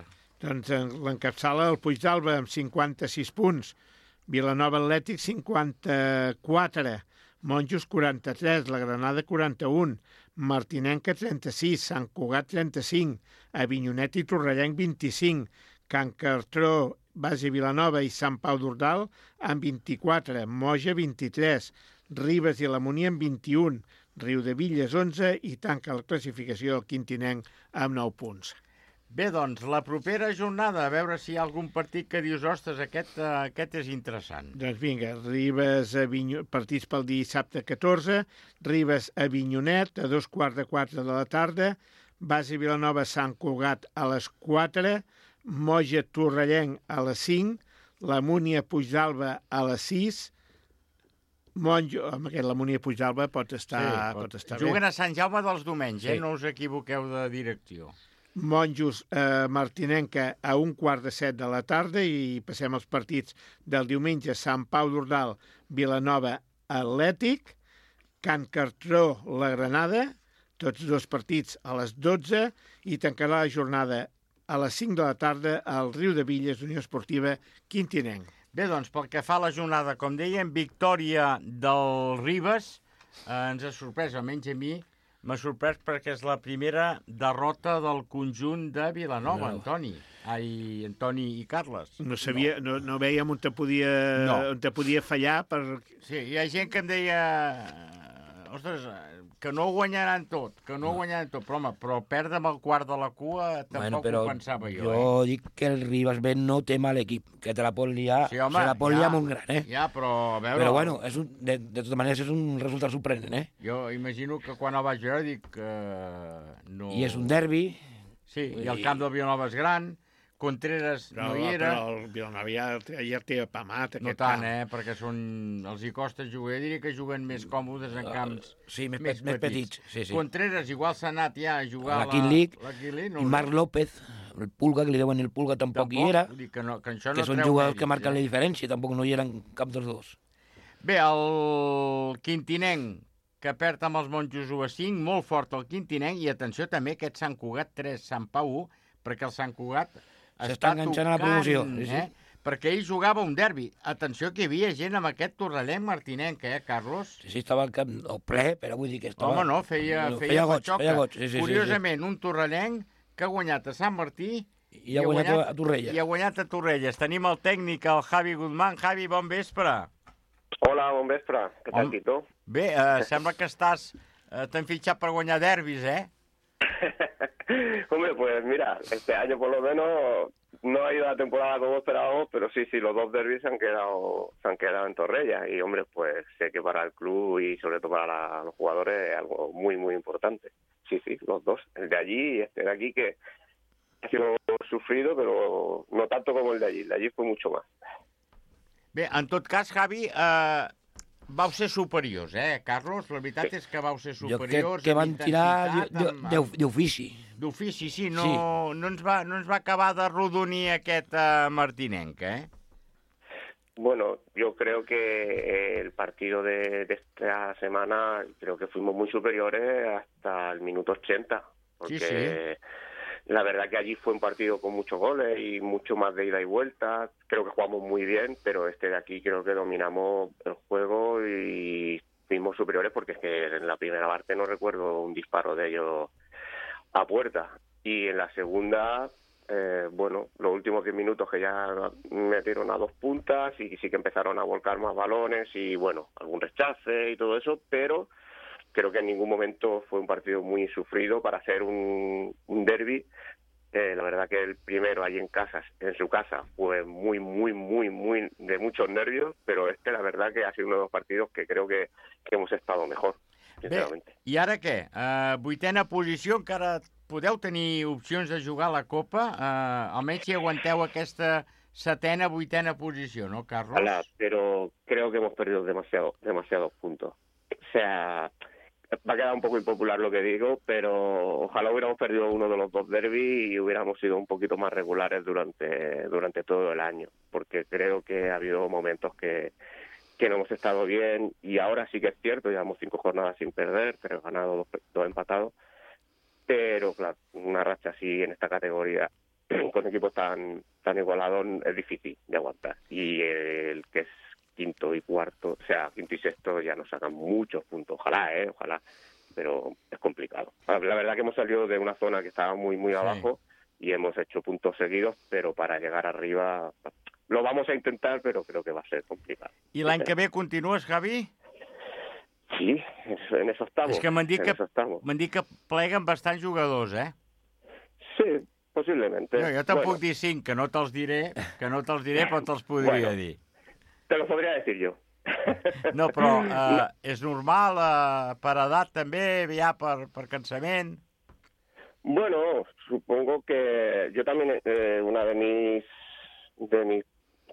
Doncs l'encapçala el Puigdàlber amb cinquanta-sis punts, Vilanova Atlètic cinquanta-quatre, Monjos quaranta-tres, La Granada quaranta-un, Martinenca trenta-sis, Sant Cugat trenta-cinc, Avinyonet i Torrellenc vint-i-cinc, Can Cartró, Base Vilanova i Sant Pau d'Ordal amb vint-i-quatre, Moja vint-i-tres, Ribes i la Múnia amb vint-i-un, Riudebitlles onze i tanca la classificació el Quintinenc amb nou punts. Bé, doncs, la propera jornada, a veure si hi ha algun partit que dius, ostres, aquest, uh, aquest és interessant. Doncs vinga, Ribes, Avinyo... partits pel dissabte catorze, Ribes, Avinyonet, a dos quarts de quatre de la tarda, Base Vilanova, Sant Cugat a les quatre, Moja Torrellenc a les cinc, la Múnia Puigdàlber a les sis, Monjo, amb aquest la Múnia Puigdàlber pot estar, sí, pot, pot estar juguen bé. a Sant Jaume dels Domenys, sí. eh? No us equivoqueu de direcció. Monjos eh, Martinenca a un quart de set de la tarda i passem als partits del diumenge. Sant Pau d'Ordal, Vilanova Atlètic, Can Cartró, La Granada, tots dos partits a les dotze, i tancarà la jornada a les cinc de la tarda al Riudebitlles, Unió Esportiva Quintinenc. Bé, doncs, pel que fa a la jornada, com dèiem, victòria del Ribes, eh, ens ha sorprès, almenys a mi, m'ha sorprès perquè és la primera derrota del conjunt de Vilanova, no. Antoni. Ai, Antoni i Carles. No sabia, no, no veiem on te podia, no. on te podia fallar per... Sí, hi ha gent que em deia... Ostres, que no guanyaran tot, que no, no. guanyaran tot, però home, però perdre amb el quart de la cua tampoc bueno, ho pensava jo. Jo eh? dic que el Ribas Ben no té mal equip, que te la pot liar, sí, home, se la pot ja, liar molt gran, eh? Ja, però a veure... Però bueno, és un, de, de totes maneres és un resultat sorprenent, eh? Jo imagino que quan el vaig veure dic que no... I és un derbi. Sí, i el camp del Vilanova és gran, Contreras no, no hi era. Però el Vilanova ja, ja té apamat aquest No tant, camp. eh? Perquè són... els hi costa jugar. Jo diria que juguen més còmodes en camps uh, sí, més, més, més petits. petits. Sí, sí. Contreras igual s'ha anat ja a jugar a la King League. La King League no I Marc López, el Pulga, que li deuen el Pulga, tampoc, tampoc hi era. Vull dir que, no, que, això que no són treu jugadors mèrits, que marquen eh? la diferència, tampoc no hi eren cap dels dos. Bé, el Quintinenc, que perd amb els monjos u a cinc, molt fort el Quintinenc, i atenció també aquest Sant Cugat tres, Sant Pau u, perquè el Sant Cugat està enganxant tocant, a la promoció. Sí, sí. Eh? Perquè ell jugava un derbi. Atenció que hi havia gent amb aquest torrellenc martinenc, eh, Carlos? Sí, sí, estava al camp el ple, però vull dir que estava... Home, no, feia, no, feia, feia goig, patxoca. feia goig. Sí, sí, Curiosament, sí, sí. un torrellenc que ha guanyat a Sant Martí i ha guanyat, guanyat a Torrelles. I ha guanyat a Torrelles. Tenim el tècnic, el Javi Guzmán. Javi, bon vespre. Hola, bon vespre. Què tal, Tito? Bé, eh, sembla que estàs... Eh, t'han fitxat per guanyar derbis, eh? Hombre, pues mira, este año por lo menos no ha ido la temporada como esperábamos, pero sí, sí, los dos derbis se han quedado, se han quedado en Torrella. Y, hombre, pues sé que para el club y sobre todo para la, los jugadores es algo muy, muy importante. Sí, sí, los dos. El de allí y este de aquí, que ha sido sufrido, pero no tanto como el de allí. El de allí fue mucho más. Bé, en tot cas, Javi, eh, vau ser superiors, eh, Carlos? La veritat sí. és que vau ser superiors. Jo crec que van tirar d'ofici. D'ofici, sí. No, sí. No, ens va, no ens va acabar de rodonir aquest uh, martinenc, eh? Bueno, yo creo que el partido de, de esta semana, creo que fuimos muy superiores hasta el minuto ochenta. Porque sí, sí. La verdad que allí fue un partido con muchos goles y mucho más de ida y vuelta. Creo que jugamos muy bien, pero este de aquí creo que dominamos el juego y fuimos superiores porque es que en la primera parte no recuerdo un disparo de ellos a puerta. Y en la segunda, eh, bueno, los últimos diez minutos que ya metieron a dos puntas y sí que empezaron a volcar más balones y, bueno, algún rechace y todo eso, pero creo que en ningún momento fue un partido muy sufrido para hacer un, un derbi. Eh, la verdad que el primero allí en casa, en su casa, fue muy, muy, muy, muy de muchos nervios, pero este la verdad que ha sido uno de los partidos que creo que, que hemos estado mejor, sinceramente. Bé, i ara què? Uh, vuitena posició, encara podeu tenir opcions de jugar a la Copa? Uh, almenys si aguanteu aquesta setena, vuitena posició, ¿no, Carlos? Hola, pero creo que hemos perdido demasiado, demasiados puntos. O sea, va a quedar un poco impopular lo que digo, pero ojalá hubiéramos perdido uno de los dos derbis y hubiéramos sido un poquito más regulares durante, durante todo el año, porque creo que ha habido momentos que, que no hemos estado bien y ahora sí que es cierto, llevamos cinco jornadas sin perder, tres ganados, dos, dos empatados, pero claro, una racha así en esta categoría con equipos tan, tan igualados es difícil de aguantar. Y el que es quinto y cuarto, o sea, quinto y sexto ya nos sacan muchos puntos. Ojalá, ¿eh? Ojalá, pero es complicado. La verdad que hemos salido de una zona que estaba muy, muy abajo sí. y hemos hecho puntos seguidos, pero para llegar arriba lo vamos a intentar, pero creo que va a ser complicado. I l'any que ve continues, Javi? Sí, en eso estamos. És que m'han dit, que, dit que pleguen bastants jugadors, eh? Sí, posiblemente. No, jo te'n bueno. puc dir cinc, que no te'ls diré, que no te'ls diré, però te'ls podria bueno. dir. Te lo podría decir yo. No, però eh, és normal eh, per edat també, ja per, per cansament? Bueno, supongo que yo también, eh, una de mis, de mis,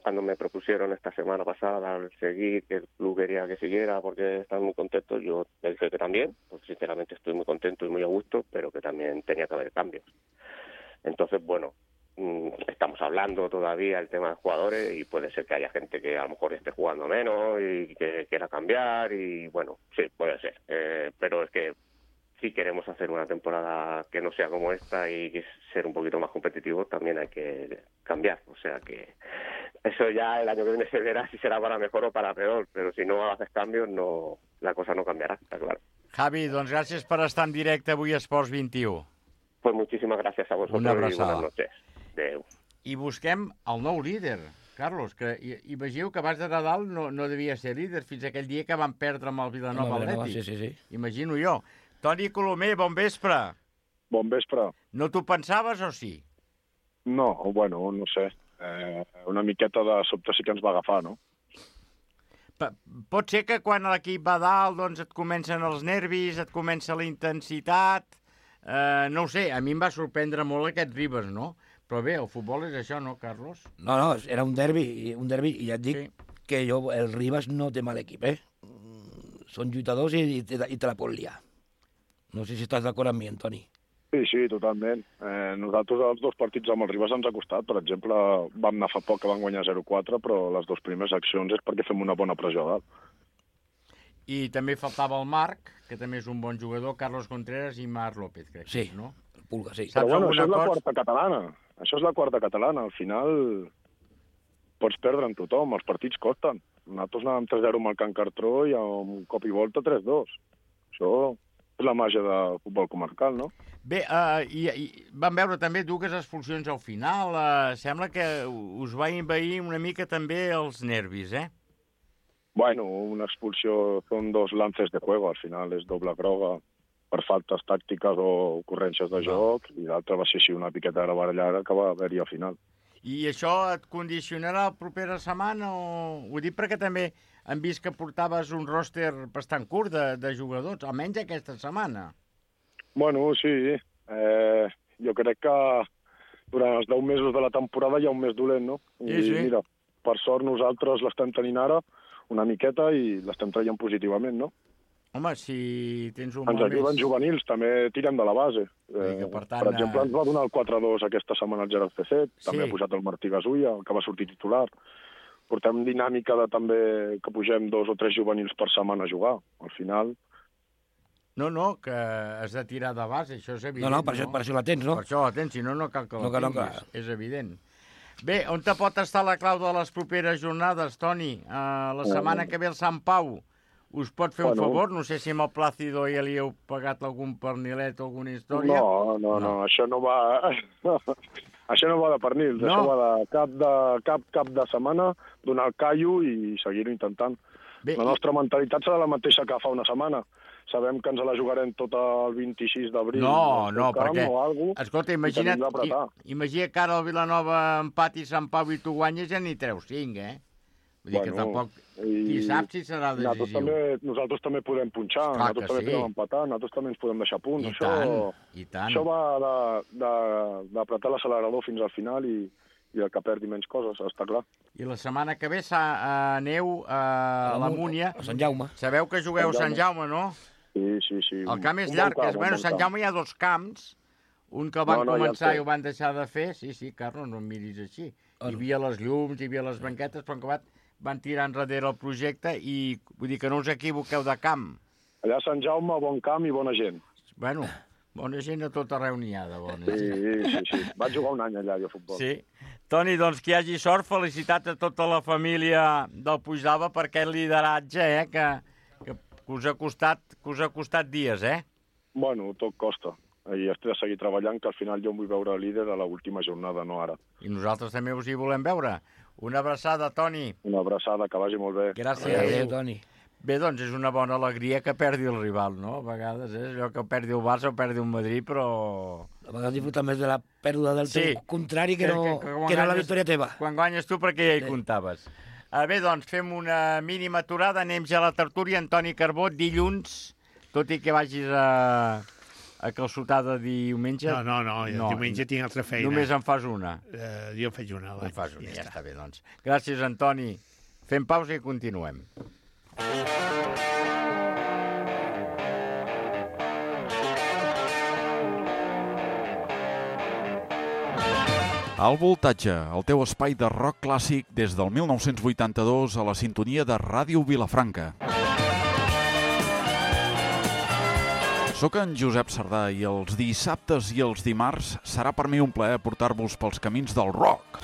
cuando me propusieron esta semana pasada al seguir, que el club quería que siguiera porque están muy contentos, yo le dije que también, pues sinceramente estoy muy contento y muy a gusto, pero que también tenía que haber cambios. Entonces, bueno, estamos hablando todavía el tema de jugadores y puede ser que haya gente que a lo mejor esté jugando menos y que quiera cambiar y bueno, sí, puede ser. Eh, pero es que si queremos hacer una temporada que no sea como esta y ser un poquito más competitivos, también hay que cambiar. O sea que eso ya el año que viene se verá si será para mejor o para peor, pero si no haces cambios, no, la cosa no cambiará, está claro. Javi, doncs gràcies per estar en directe avui a Esports vint-i-u. Pues muchísimas gracias a vosotros Una y abraçada. buenas noches. Adéu. I busquem el nou líder, Carlos, que imagineu que abans de Nadal no, no devia ser líder fins aquell dia que van perdre amb el Vilanova Atlètic. Sí, sí, sí. Imagino jo. Toni Colomer, bon vespre. Bon vespre. No t'ho pensaves o sí? No, bueno, no sé. Eh, una miqueta de sobte sí que ens va agafar, no? P pot ser que quan l'equip va dalt doncs et comencen els nervis, et comença la intensitat... Eh, no ho sé, a mi em va sorprendre molt aquest Ribas, no? Però bé, el futbol és això, no, Carlos? No, no, era un derbi, un derbi, i ja et dic Sí. que jo, el Ribas no té mal equip, eh? Són lluitadors i, i, te, i te la pot liar. No sé si estàs d'acord amb mi, Antoni. Sí, sí, totalment. Eh, nosaltres els dos partits amb el Ribas ens ha costat. Per exemple, vam anar fa poc que van guanyar zero quatre, però les dues primeres accions és perquè fem una bona pressió a dalt. I també faltava el Marc, que també és un bon jugador, Carlos Contreras i Marc López, crec. Sí, no? el Pulga, sí. Però Saps bueno, això és alguna la cosa? quarta catalana. Això és la quarta catalana. Al final pots perdre amb tothom, els partits costen. Nosaltres anàvem tres zero amb el Can Cartró i amb cop i volta tres dos. Això és la màgia del futbol comarcal, no? Bé, uh, i, i vam veure també dues expulsions al final. Uh, sembla que us va envair una mica també els nervis, eh? Bueno, una expulsió són dos lances de juego, al final és doble groga per faltes tàctiques o ocurrències de joc, i l'altra va ser així una piqueta de la barallada que va haver-hi al final. I això et condicionarà la propera setmana? O... Ho dic perquè també hem vist que portaves un ròster bastant curt de, de jugadors, almenys aquesta setmana. Bueno, sí. Eh, jo crec que durant els deu mesos de la temporada hi ha un mes dolent, no? I Sí, sí. mira, per sort nosaltres l'estem tenint ara una miqueta i l'estem traient positivament, no? Home, si tens un Ens mal ajuden mes... juvenils, també tirem de la base. Eh, que, per tant, per exemple, ens va donar el quatre dos aquesta setmana el Gerard C C, també Sí. ha pujat el Martí Gasulla, que va sortir titular. Portem dinàmica de també que pugem dos o tres juvenils per setmana a jugar. Al final... No, no, que has de tirar de base, això és evident. No, no, per això, per això la tens, no? Per això la tens, si no, no cal que la No, que no, tinguis, clar. és evident. Bé, on te pot estar la clau de les properes jornades, Toni? Uh, la setmana que ve el Sant Pau us pot fer Bueno. un favor? No sé si amb el Plácido ja li heu pagat algun pernilet o alguna història. No, no, no, no, això no va... això no va de pernils, No. això va de cap de, cap, cap de setmana, donar el callo i seguir-ho intentant. Bé, la nostra mentalitat serà la mateixa que fa una setmana. Sabem que ens la jugarem tot el vint-i-sis d'abril. No, al no, camp perquè... o algo, Escolta, i imagina't, tenim d'apretar. i, imagina que ara el Vilanova empati Sant Pau i tu guanyes ja n'hi treus cinc, eh? Vull dir que tampoc... Qui sap si serà Nosaltres decisiu. també, nosaltres també podem punxar, Clar nosaltres que també sí. podem empatar, nosaltres també ens podem deixar punts. I això, tant, i tant. Això va de- de- d'apretar l'accelerador fins al final i, i el que perdi menys coses, està clar. I la setmana que ve sa, uh, aneu uh, a la Múnia. A Sant Jaume. Sabeu que jugueu a Sant Jaume, no? Sí, sí, sí. El camp és Un bon llarg. camp, és, un bueno, bon a Sant camp. Jaume hi ha dos camps. Un que van No, no, ja el començar sé. i ho van deixar de fer. Sí, sí, Carlos, no em miris així. Hi havia les llums, hi havia les banquetes, però en acabat van tirar enrere el projecte i vull dir que no us equivoqueu de camp. Allà a Sant Jaume, bon camp i bona gent. Bueno, bona gent a tot arreu n'hi ha de bona Sí, gent. sí, sí. Vaig jugar un any allà, jo, a futbol. Sí. Toni, doncs que hi hagi sort, felicitat a tota la família del Puigdàlber per aquest lideratge, eh, que, que us ha costat, que us ha costat dies, eh? Bueno, tot costa. I has de seguir treballant, que al final jo em vull veure líder a l'última jornada, no ara. I nosaltres també us hi volem veure. Una abraçada, Toni. Una abraçada, que vagi molt bé. Gràcies. Adéu, Toni. Bé, doncs és una bona alegria que perdi el rival, no? A vegades, eh? Allò que perdi el Barça o perdi el Madrid, però... A vegades disfruta més de la pèrdua del Sí. teu contrari que, no, que, quan que no la guanyes- victòria teva. Quan guanyes tu, perquè ja hi comptaves. Uh, bé, doncs, fem una mínima aturada, anem ja a la tertúlia. Antoni Carbó, dilluns, tot i que vagis a, a calçotada diumenge... No, no, no, jo diumenge tinc altra feina. Només en fas una. Uh, jo en faig una. En fas una, ja, ja està bé, doncs. Gràcies, Antoni. Fem pausa i continuem. Al Voltatge, el teu espai de rock clàssic des del mil nou-cents vuitanta-dos a la sintonia de Ràdio Vilafranca. Soc en Josep Sardà i els dissabtes i els dimarts serà per mi un plaer portar-vos pels camins del rock.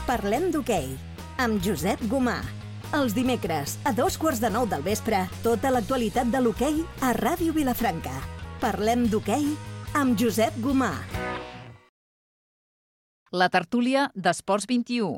Parlem d'hoquei, amb Josep Gomà. Els dimecres, a dos quarts de nou del vespre, tota l'actualitat de l'hoquei a Ràdio Vilafranca. Parlem d'hoquei amb Josep Gomà. La tertúlia d'Esports vint-i-u.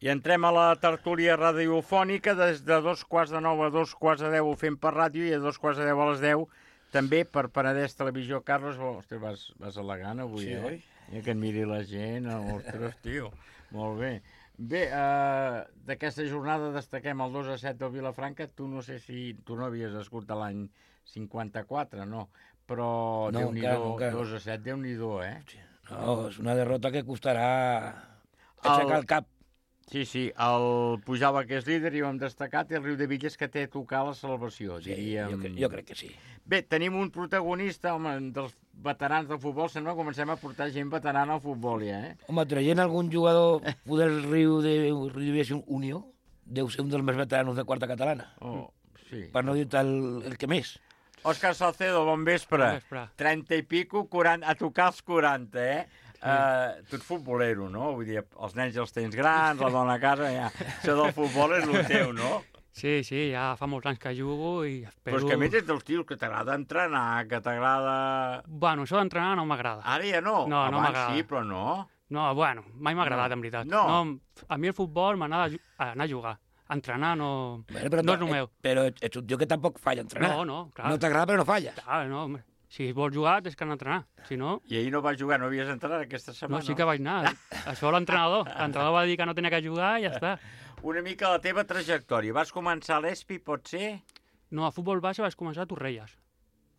I entrem a la tertúlia radiofònica des de dos quarts de nou a dos quarts de deu ho fem per ràdio i a dos quarts de deu a les deu també per Penedès Televisió. Carles, ostres, vas, vas elegant avui, Sí, eh? oi? I que et miri la gent, ostres, tio, molt bé. Bé, eh, d'aquesta jornada destaquem el dos a set del Vilafranca. Tu no sé si tu no havies nascut de l'any cinquanta-quatre, no? Però No, Déu-n'hi-do, encara no, encara no. dos a set, Déu-n'hi-do, eh? No, és una derrota que costarà aixecar el cap. Sí, sí, el Pujava, que és líder, i ho hem destacat, i el Riu de Villes, que té a tocar la salvació, Sí, diríem. jo, cre- jo crec que sí. Bé, tenim un protagonista, home, dels veterans del futbol. Sembla que comencem a portar gent veterana al futbol, ja, eh? Home, traient algun jugador del Riu de, Riu de Villes Unió, deu ser un dels més veteranos de quarta catalana. Oh, sí. Per no dir-te el, el que més. Òscar Salcedo, bon vespre. Bon vespre. trenta i pico, quaranta, a tocar els quaranta, eh? Sí. Uh, tu ets futbolero, no? Vull dir, els nens ja els tens grans, la dona a casa, ja. Això del futbol és el teu, no? Sí, sí, ja fa molts anys que jugo i espero... Però és que a més ets dels tios que t'agrada entrenar, que t'agrada... Bueno, això d'entrenar no m'agrada. Ara ja no. No, no Abans m'agrada. sí, però no. No, bueno, mai m'ha agradat, No. en veritat. No. A mi el futbol m'agrada ju- anar a jugar. Entrenar no, Bueno, però, no és el meu. Però ets un tio que tampoc falla a entrenar. No, no, clar. No t'agrada, però no falles. Clar, no, home. Si vols jugar, tens que anar a entrenar. Si no... I ahir no vas jugar, no havies entrenat aquesta setmana. No, sí que vaig anar. Això l'entrenador. L'entrenador va dir que no tenia que jugar i ja està. Una mica la teva trajectòria. Vas començar a l'Espi, pot ser? No, a futbol base vaig començar a Torrelles.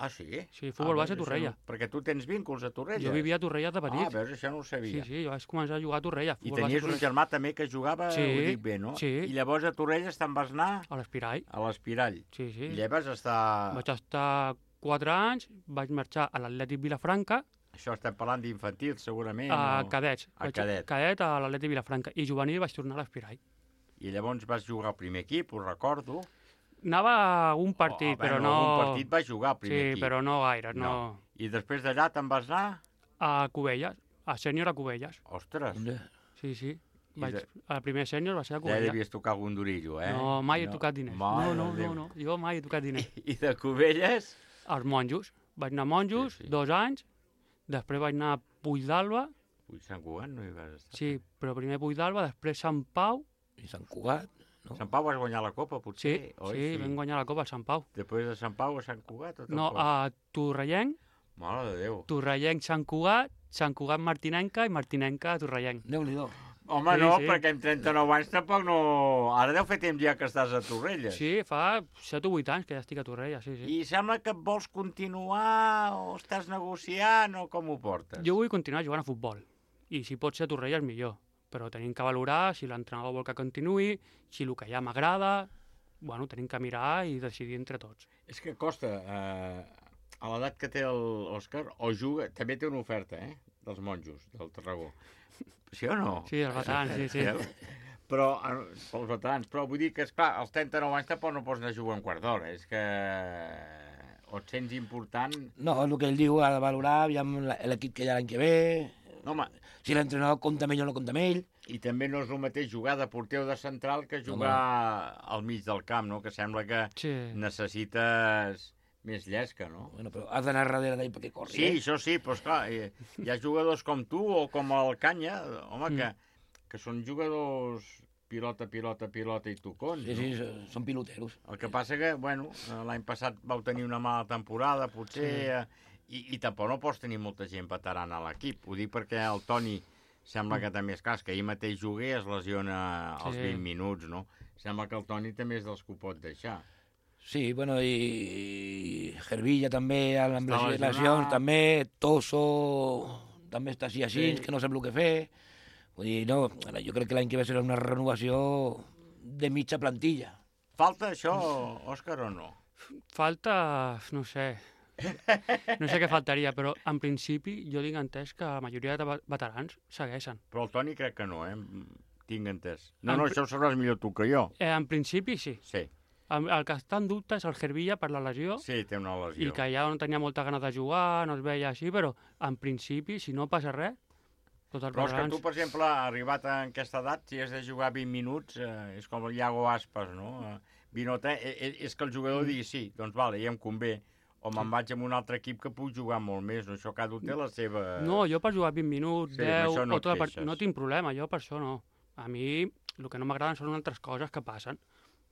Ah, sí? Sí, futbol ah, base a veus, Torrella. això no- Perquè tu tens vínculs a Torrella. Jo vivia a Torrelles de petit. Ah, veus, això no ho sabia. Sí, sí, jo vaig començar a jugar a Torrelles. I futbol base a tenies un Torrelles. germà també que jugava, Sí, ho dic bé, no? sí. I llavors a Torrelles te'n vas anar? A l'Espirall. A l'Espirall. Sí, sí. I allà vas estar... Vaig estar quatre anys, vaig marxar a l'Atlètic Vilafranca, Això estem parlant d'infantil, segurament. a o- cadets. A Vaig- cadet. Cadet a l'Atlètic Vilafranca. I juvenil vaig tornar a l'Espirall. I llavors vas jugar al primer equip, ho recordo. Anava a un partit, Oh, però bueno, no... algun partit vas jugar al primer sí, equip. però no gaire, no. I després d'allà te'n vas anar? A Cubelles, a sènior a Cubelles. Ostres. Sí, sí. I Vaig... de- El primer sènior va ser a Ja Cubelles. devies tocar algun durillo, eh? No, mai he tocat diners. Mare No, no, de no, Déu. no, jo mai he tocat diners. I de Cubelles? Els monjos. Vaig anar a monjos, sí, sí. dos anys, després vaig anar a Puig d'Alba, Ui, Sant Cugat no hi vas estar. sí, però primer Puig d'Alba, després Sant Pau. I Sant Cugat, no? Sant Pau vas guanyar la Copa, Sí, potser? oi? sí, vam guanyar la Copa a Sant Pau. Després de Sant Pau a Sant Cugat? O No, tampoc? a Torrellenc, Mare de Déu. Torrellenc Sant Cugat, Sant Cugat Martinenca i Martinenca Torrellenc. Déu-n'hi-do. Home, Sí, no, sí. perquè amb trenta-nou anys tampoc no... Ara deu fer temps ja que estàs a Torrelles. Sí, fa set o vuit anys que ja estic a Torrelles, sí, sí. I sembla que vols continuar o estàs negociant o com ho portes? Jo vull continuar jugant a futbol, i si pot ser a Torrelles millor, però tenim que valorar si l'entrenador vol que continuï, si el que ja m'agrada, bueno, tenim que mirar i decidir entre tots. És que costa, eh, a l'edat que té l'Òscar, o juga... També té una oferta, eh?, dels monjos, del Tarragó. Sí o no? Sí, els veterans, sí, sí. Però, eh, pels veterans, però vull dir que, esclar, als trenta-nou anys tampoc no pots anar a jugar un quart d'hora, és que o et sents important... No, el que ell diu, ha de valorar, aviam la- l'equip que hi ha l'any que ve, No, home, si l'entrenador compta amb ell o no compta amb ell. i també no és el mateix jugar de porter o de central que jugar al mig del camp, no? Que sembla que Sí. necessites més llesca, no? Bueno, però has d'anar darrere d'ell perquè corri, Sí, eh? això sí, però esclar, hi, hi ha jugadors com tu o com el Canya, home, Mm. que, que són jugadors pilota, pilota, pilota i tocons, Sí, sí, no? so- són piloteros. El que passa que, bueno, eh, l'any passat vau tenir una mala temporada, potser, Sí. eh, i, i tampoc no pots tenir molta gent veterana a l'equip. Ho dic perquè el Toni sembla que també és cas, que ahir mateix jugué, es lesiona als Sí. vint minuts, no? Sembla que el Toni també és dels que ho pot deixar. Sí, bueno, i Gervilla també, amb Està les lesionat. lesions, també, Toso, també està així així, Sí. que no sap el que fer. Vull dir, no, jo crec que l'any que ve serà una renovació de mitja plantilla. Falta això, Òscar, o no? Falta, no sé, no sé què faltaria, però en principi jo tinc entès que la majoria de veterans segueixen. Però el Toni crec que no, eh? Tinc entès. No, En no, pri- això ho sabràs millor tu que jo. Eh, en principi sí. Sí, El, el que està en dubte és el Gervilla per la lesió, sí, té una lesió. i que ja no tenia molta ganes de jugar, no es veia així, però en principi, si no passa res, tots els Però és que veterans... tu, per exemple, arribat a aquesta edat, si has de jugar vint minuts, eh, és com el Iago Aspas, no? Eh, vint o tres, eh, eh, és que el jugador digui sí, doncs vale, ja em convé. o me'n vaig amb un altre equip que puc jugar molt més, no? Això cada un té la seva... No, jo per jugar vint minuts, Sí, amb deu, això no o tota et la part... queixes. no tinc problema, jo per això no. A mi el que no m'agraden són altres coses que passen,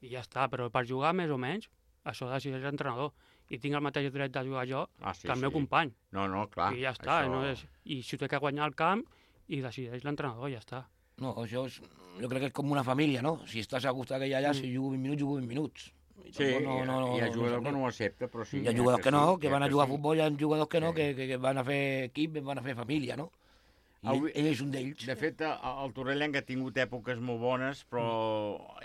i ja està, però per jugar més o menys, això decideix l'entrenador, i tinc el mateix dret de jugar jo Ah, sí, que el meu sí. company. No, no, clar. I ja està, això- no és... i si ho té que guanyar el camp, i decideix l'entrenador, ja està. No, això és, jo crec que és com una família, no? Si estàs a gust aquella allà, Mm. si jugo vint minuts, jugo vint minuts. I Sí, tampoc hi ha jugadors que no ho accepta, però sí. Hi ha jugadors que no, que sí, van a que jugar a sí. futbol, hi ha jugadors que no, que, que, que van a fer equip, van a fer família, no? I ell, Avui- ell és un d'ells. De fet, el el Torrellenc ha tingut èpoques molt bones, però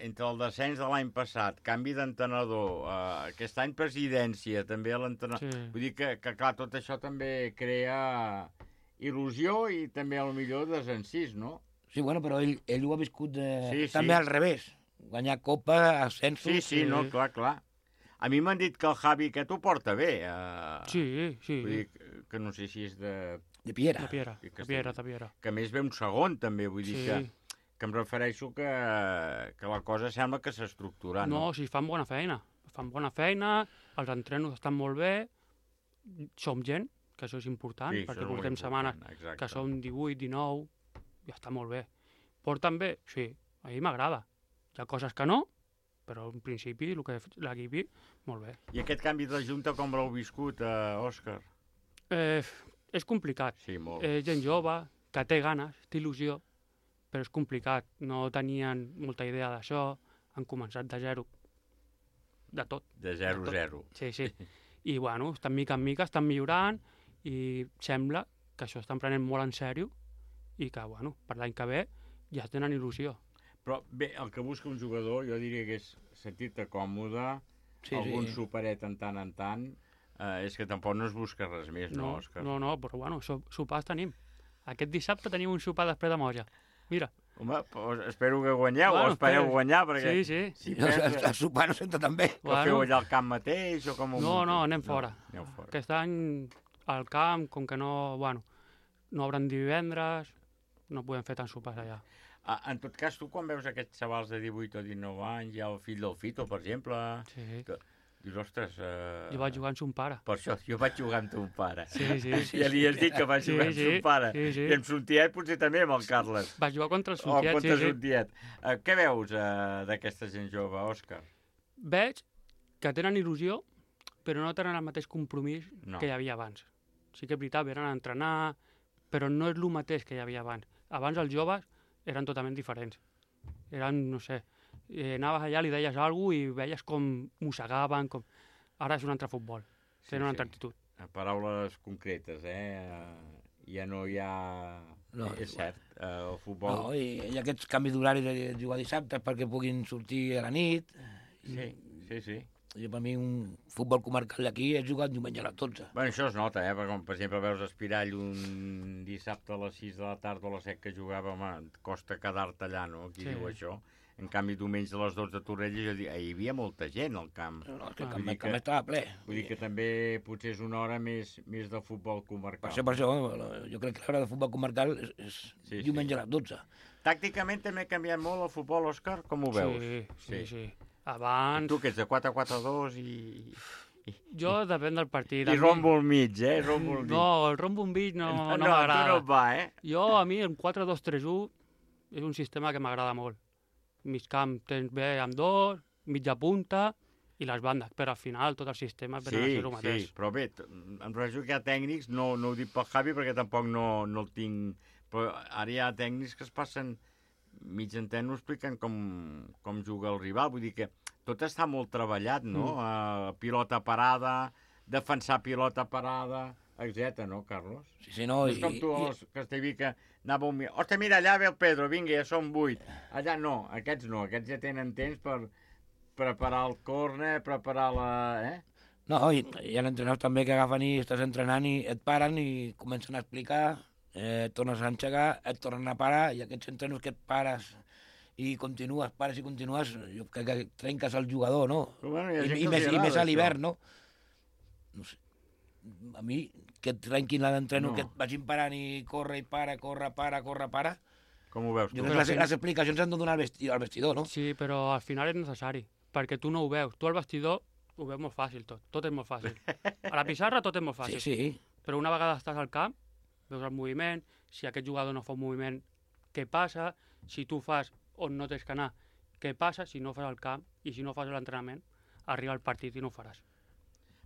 entre el descens de l'any passat, canvi d'entrenador, eh, aquest any presidència, també l'entrenador... Sí. Vull dir que, que, clar, tot això també crea il·lusió i també, a lo millor, desencís, no? Sí, bueno, però ell, ell ho ha viscut eh, Sí, sí. també al revés. Guanyar Copa, ascensos... Sí, sí, no, clar, clar. A mi m'han dit que el Javi aquest ho porta bé. Eh... Sí, sí. Vull dir que, que no sé si és de... De Piera. De Piera, Que de Piera, de Piera. Que a més ve un segon, també, vull dir Sí. que, que em refereixo que, que la cosa sembla que s'ha estructurat, No, no? si fan bona feina. Fan bona feina, els entrenos estan molt bé, som gent, que això és important, Sí, això perquè és molt portem setmanes important, exacte. que som divuit, dinou, ja està molt bé. Porten bé? Sí, a mi m'agrada. Hi ha coses que no, però en principi el que l'equip, molt bé. I aquest canvi de junta com l'heu viscut, eh, Òscar? Eh, és complicat. Sí, molt. Eh, gent jove, que té ganes, té il·lusió, però és complicat. No tenien molta idea d'això, han començat de zero. De tot. De zero tot. zero. Sí, sí. I, bueno, estan mica en mica, estan millorant, i sembla que això estan prenent molt en sèrio i que, bueno, per l'any que ve ja tenen il·lusió. Però bé, el que busca un jugador, jo diria que és sentir-te còmode, Sí, algun sí. superet en tant en tant, eh, és que tampoc no es busca res més, no, No, Òscar? no, no, però, bueno, so, sopars tenim. Aquest dissabte tenim un sopar després de Moja. Mira. Home, pues espero que guanyeu, Bueno, o espereu espera. guanyar, perquè... Sí, sí. Si No, perds, el sopar no senta tan bé. Que feu allà al camp mateix, o com ho No, munteu? no, anem fora. aneu fora. Aquest any al camp, com que no, bueno, no obren divendres, no podem fer tants sopars allà. Ah, en tot cas, tu quan veus aquests xavals de divuit o dinou anys, hi ha el fill del Fito, per exemple, Sí. que dius, ostres... Eh... Jo vaig jugar amb son pare. Per això, jo vaig jugar amb ton pare. Sí, sí, sí. Ja li has dit que vaig Sí, jugar amb sí, son pare. sí, sí. I amb son tiet potser també, amb el Carles. Vaig jugar contra el O son tiet, contra sí, sí. son tiet. Eh, què veus eh, d'aquesta gent jove, Òscar? Veig que tenen il·lusió, però no tenen el mateix compromís No. que hi havia abans. Sí que és veritat, venen a entrenar, però no és el mateix que hi havia abans. Abans els joves eren totalment diferents. Eren, no sé, eh, anaves allà, li deies alguna cosa i veies com mossegaven, com... Ara és un altre futbol, tenen una altra actitud. Eh, Paraules concretes, eh? Eh, Ja no hi ha... No, és igual. cert, eh, el futbol... No, i, i aquests canvis d'horari de jugar dissabte perquè puguin sortir a la nit. Sí, sí, sí. Jo, per mi, un futbol comarcal d'aquí és jugar diumenge a les dotze. Bueno, això es nota, eh? Perquè, com, per exemple, veus Espirall un dissabte a les sis de la tarda o a les set que jugava, home, et costa quedar-te allà, no? Qui Sí. diu això? En canvi, diumenge a les dotze a Torrelles jo dic, hi havia molta gent al camp. No, no, és que el Vull camp- dir el camp estava ple. Vull dir que també potser és una hora més, més de futbol comarcal. Per això, per això, jo crec que l'hora de futbol comarcal és, és Sí, diumenge sí. a les dotze. Tàcticament també ha canviat molt el futbol, Òscar? Com ho veus? Sí, sí, sí. Abans... Tu que ets de quatre quatre dos i... Jo depèn del partit. I A mi- rombo al mig, eh? Rombo al mig. No, el rombo al mig no, No, no, no, m'agrada. a tu no et va, eh? Jo, a mi, el quatre dos tres u és un sistema que m'agrada molt. Mig camp tens bé amb dos, mitja punta i les bandes, però al final tot el sistema Sí, venen a ser el mateix. sí, però bé, t- em refereixo que hi ha tècnics, no, no ho dic pel Javi perquè tampoc no, no el tinc... Però ara hi ha tècnics que es passen mig entén, no expliquen com, com juga el rival, vull dir que tot està molt treballat, no? Mm. Uh, pilota parada, defensar pilota parada, etcètera, no, Carlos? Sí, sí, no, no és i- com tu, i- a Castellví, que anava un... Ostres, mira, allà ve el Pedro, vinga, ja són vuit. Allà no, aquests no, aquests ja tenen temps per preparar el córner, preparar la... Eh? No, i hi ha entrenadors també que agafen i estàs entrenant i et paren i comencen a explicar, eh, et tornes a enxegar, et tornen a parar, i aquests entrenos que et pares i continues, pares i continues, jo crec que trenques el jugador, no? Però bueno, hi ha I, gent i, que més, els I agrada més a això. l'hivern, no? No sé. A mi, que et trenquin la d'entreno, No. que et vagin parant i corre i para, corre, para, corre, para... Com ho veus Jo tu? crec que les, les explicacions s'han de donar al vestidor, al vestidor, no? Sí, però al final és necessari, perquè tu no ho veus. Tu al vestidor ho veu molt fàcil tot, tot és molt fàcil. A la pissarra tot és molt fàcil. Sí, sí. Però una vegada estàs al camp, veus el moviment, si aquest jugador no fa un moviment, què passa? Si tu fas on no tens que anar, què passa? Si no fas el camp i si no fas l'entrenament, arriba el partit i no ho faràs.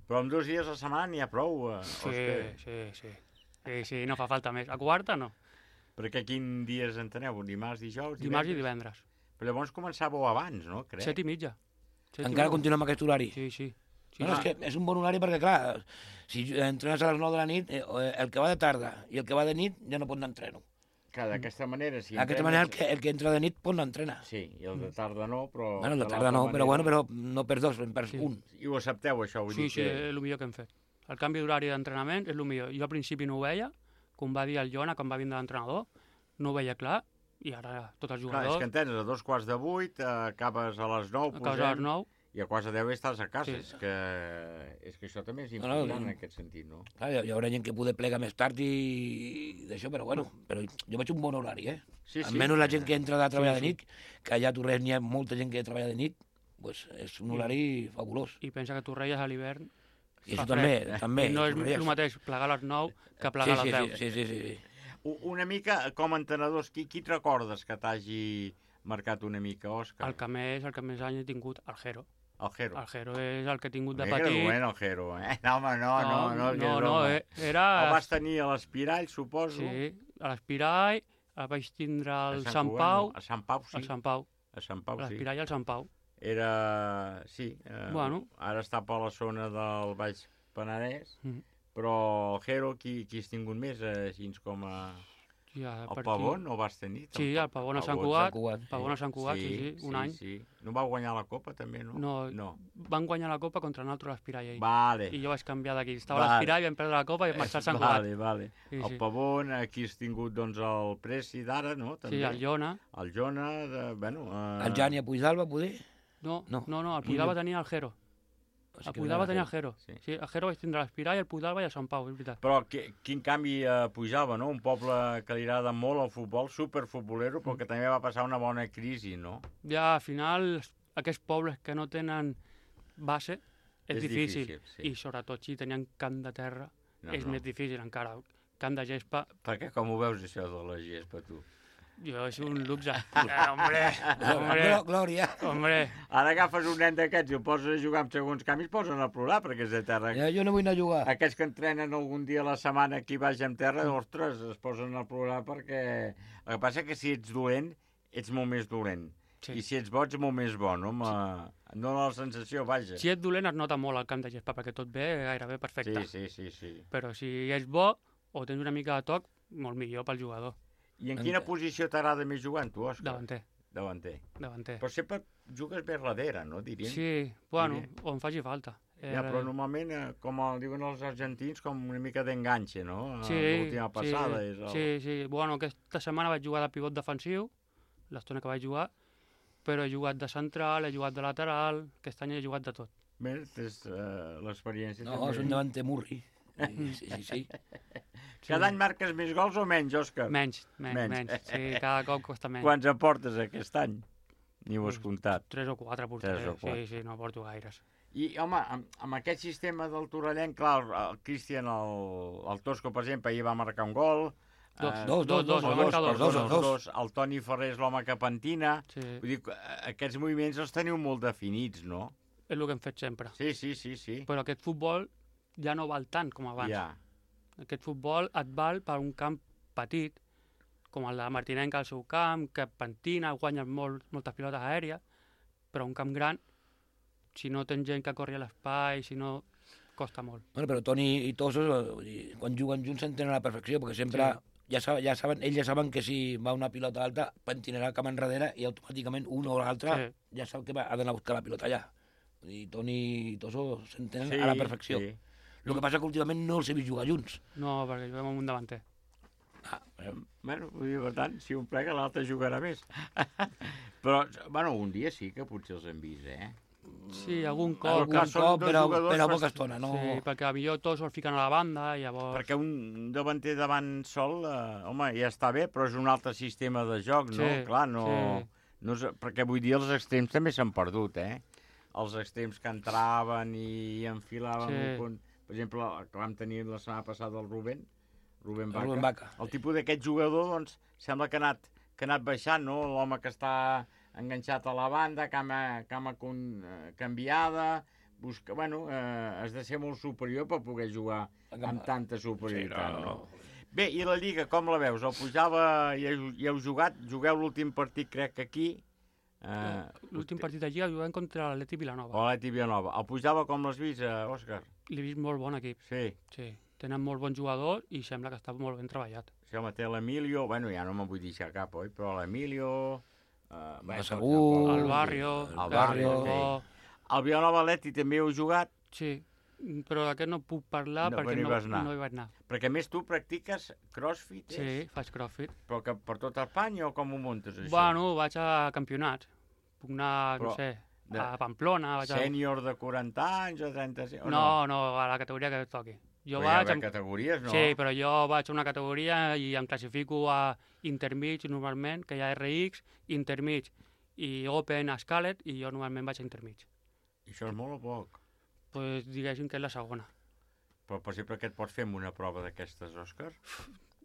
Però amb dos dies a la setmana n'hi ha prou, eh, Sí, Òscar? sí, sí. Sí, sí, no fa falta més. A quarta, no. Perquè quin dies enteneu? Dimarts, dijous, divendres? Dimarts i divendres. Però llavors començàveu abans, no? Crec. Set i mitja. Set i Encara mitja. continuem amb aquest horari? Sí, sí. sí no, no, és que és un bon horari perquè, clar, si entrenes a les nou de la nit, eh, el que va de tarda i el que va de nit ja no pot anar a entreno. Que d'aquesta manera... Si D'aquesta manera, el que, el que entra de nit pot anar a entrenar. Sí, i el de tarda no, però... Bueno, el de de tarda l'altra no, manera- però bueno, però no perds dos, en perds Sí. un. I ho accepteu, això? Vull Sí, dir sí, que... és el millor que hem fet. El canvi d'horari d'entrenament és el millor. Jo al principi no ho veia, com va dir el Jona, quan va vindre l'entrenador, no ho veia clar, i ara tots els Clar, jugadors... és que entrenes a dos quarts de vuit, eh, acabes a les nou, Acabes a les nou. i a quarts de deu estàs a casa. Sí. És, que, és que això també és No, no, important no. en aquest sentit, no? Clar, hi, hi haurà gent que poder plegar més tard i d'això, però bueno, però jo veig un bon horari, eh? Sí, sí. Almenys la gent que entra de treballar Sí, de nit, que allà a Torres n'hi ha molta gent que treballa de nit, pues és un horari fabulós. I pensa que tu reies a l'hivern... I fa això també, fred. també. I no és Torrelles. el mateix plegar a les nou que plegar Sí, a sí, les deu. sí, sí, sí, sí. U- Una mica, com a entrenadors, qui, qui et recordes que t'hagi marcat una mica, Òscar? El que més, el que més anys he tingut, el Jero. El Jero. El Jero és el que he tingut de Mira que petit. era dolent, el Jero, eh? No, home, no, no, no. que no, és no, broma. eh, era... El vas tenir a l'Espirall, suposo. Sí, a l'Espirall, el vaig tindre al A Sant Cugat, Pau. no? A Sant Pau, sí. Al Sant Pau. A Sant Pau, A sí. l'Espirall i al Sant Pau. Era... Sí. Eh, Bueno. Ara està per la zona del Baix Penedès, Mhm. però el Jero, qui, qui has tingut més, eh, així com a... Ja, El per Pavón, aquí. no vas tenir? Sí, el Pavón a Sant Cugat. Pavón a Sant Cugat, sí, sí, un any. Sí. No va guanyar la Copa, també, no? No, no. van guanyar la Copa contra nosaltres l'Espirall ahir. Vale. I jo vaig canviar d'aquí. Estava Vale. a l'Espirall, vam perdre la Copa i vam marxar al Sant Cugat. Vale, vale. Sí, el sí. Pavón, aquí has tingut doncs, el Presi d'ara, no? També. Sí, el Jona. El Jona, de, bueno... Eh... El Jan i a Puigdalba, poder? No, No. no, no, el No, Puigdalba no. tenia el Jero. O sigui El que Puigdalba era tenia el Jero. Jero. Sí. el Jero vaig tindre l'Espirall, el Puigdalba i el Sant Pau, és veritat. Però qui, quin canvi a Pujava, no? Un poble que li agrada molt el futbol, superfutbolero, però que també va passar una bona crisi, no? Ja, al final, aquests pobles que no tenen base, és, És difícil. difícil, sí. I sobretot si tenien camp de terra, No, és no. més difícil encara. Camp de gespa, Perquè com ho veus, això de la gespa, tu? jo, és un luxe. Eh, hombre, hombre, Glo- Glòria. hombre. Ara agafes un nen d'aquests i el poses a jugar amb segons canvis, posen a plorar, perquè és de terra. Ja, jo no vull anar a jugar. Aquests que entrenen algun dia a la setmana aquí baix en terra, ostres, es posen a plorar perquè... El que passa que si ets dolent, ets molt més dolent. Sí. I si ets bo, ets molt més bo, no? Ma... No dona la sensació, vaja. Si ets dolent es nota molt al camp de gespa, perquè tot ve gairebé perfecte. Sí, sí, sí, sí. Però si ets bo o tens una mica de toc, molt millor pel jugador. I en quina posició t'agrada més jugant, tu, Òscar? Davanter. Davanter. Davanter. Però sempre jugues bé darrere, no, diríem? Sí, bueno, Diríem. on faci falta. Ja, però normalment, eh, com el diuen els argentins, com una mica d'enganxe, no? Sí, L'última passada sí, és el... sí, sí. Bueno, aquesta setmana vaig jugar de pivot defensiu, l'estona que vaig jugar, però he jugat de central, he jugat de lateral, aquest any he jugat de tot. Bé, tens uh, l'experiència No, també. és un davanter murri. Sí, sí, sí. sí. Cada any marques més gols o menys, Òscar? Menys, menys, menys. Sí, cada cop costa menys. Quants en portes aquest any? Ni ho has comptat. Tres o quatre portaré. Tres o quatre. Sí, sí, no porto gaires. I, home, amb, amb aquest sistema del Torrellenc, clar, el, el Cristian, el, el Tosco, per exemple, ahir va marcar un gol. Dos, Eh, dos, dos, dos, o va marcar dos, perdó, dos, dos, dos. El Toni Ferrer és l'home que pentina. Sí. Vull dir, que, eh, aquests moviments els teniu molt definits, no? És el que hem fet sempre. Sí, sí, sí, sí. Però aquest futbol ja no val tant com abans. Ja. Aquest futbol et val per un camp petit, com el de Martinenca al seu camp, que pentina, guanya molt, moltes pilotes aèries, però un camp gran, si no tens gent que corri a l'espai, si no, costa molt. Bueno, però Toni i Tosos, vull dir, quan juguen junts s'entenen a la perfecció, perquè sempre Sí. ja, saben, ja saben, ells ja saben que si va una pilota alta, pentinarà el camp enrere i automàticament un o l'altre Sí. ja sap que va, ha d'anar a buscar la pilota allà. Vull dir, Toni i Tosos s'entenen Sí, a la perfecció. sí. El que passa que últimament no els he vist jugar junts. No, perquè juguem amb un davanter. Ah, eh, Bueno, vull dir, per tant, si un plega, l'altre jugarà més. Però, bueno, un dia sí que potser els hem vist, eh? Sí, algun Però cop. algun clar, són cop, dos però, jugadors però a bast- poca estona. No... Sí, perquè millor tots el fiquen a la banda, i llavors... Perquè un davanter davant sol, eh, home, ja està bé, però és un altre sistema de joc, no? Sí, Clar, no... sí. no és, perquè vull dir, els extrems també s'han perdut, eh? els extrems que entraven i enfilaven... Sí. Un... Per exemple, el que vam tenir la setmana passada el Rubén, Rubén Vaca. Rubén Vaca. El tipus d'aquest jugador, doncs, sembla que ha anat, que ha anat baixant, no? L'home que està enganxat a la banda, cama, cama con, eh, canviada, busca... Bueno, eh, has de ser molt superior per poder jugar amb tanta superioritat, Sí, no, no? Bé, i la Lliga, com la veus? El Pujava hi heu, hi heu jugat? Jugueu l'últim partit, crec que aquí. Eh, L'últim partit de Lliga juguem contra l'Atleti Vilanova. o l'Atleti Vilanova. El Pujava com l'has vist, eh, Òscar? L'he vist molt bon equip. Sí. Sí. Tenen molt bons jugadors i sembla que està molt ben treballat. Sí, home, té l'Emilio, bueno, ja no me'n vull deixar cap, oi? Però l'Emilio... Eh, El Segur, El Barrio, El Barrio, el Bo. El Vilanova Atleti també heu jugat? Sí, però d'aquest no puc parlar No, perquè però hi no, vas anar. no hi vaig anar. Perquè a més tu practiques crossfit, Sí, és? faig crossfit. Però que per tota Espanya o com ho muntes, això? Bueno, vaig a campionats. Puc anar, Però no sé, de- a Pamplona. Vaig a... Sènior de quaranta anys o trenta-cinc? O No, no, a la categoria que toqui. Jo Però hi ha vaig... d'haver categories, no? Sí, però jo vaig a una categoria i em classifico a intermig normalment, que hi ha R X, intermig i Open a Scalet, i jo normalment vaig a intermig. I això és molt o poc? Pues diguéssim que és la segona. Però, per exemple, què et pots fer amb una prova d'aquestes, Òscar?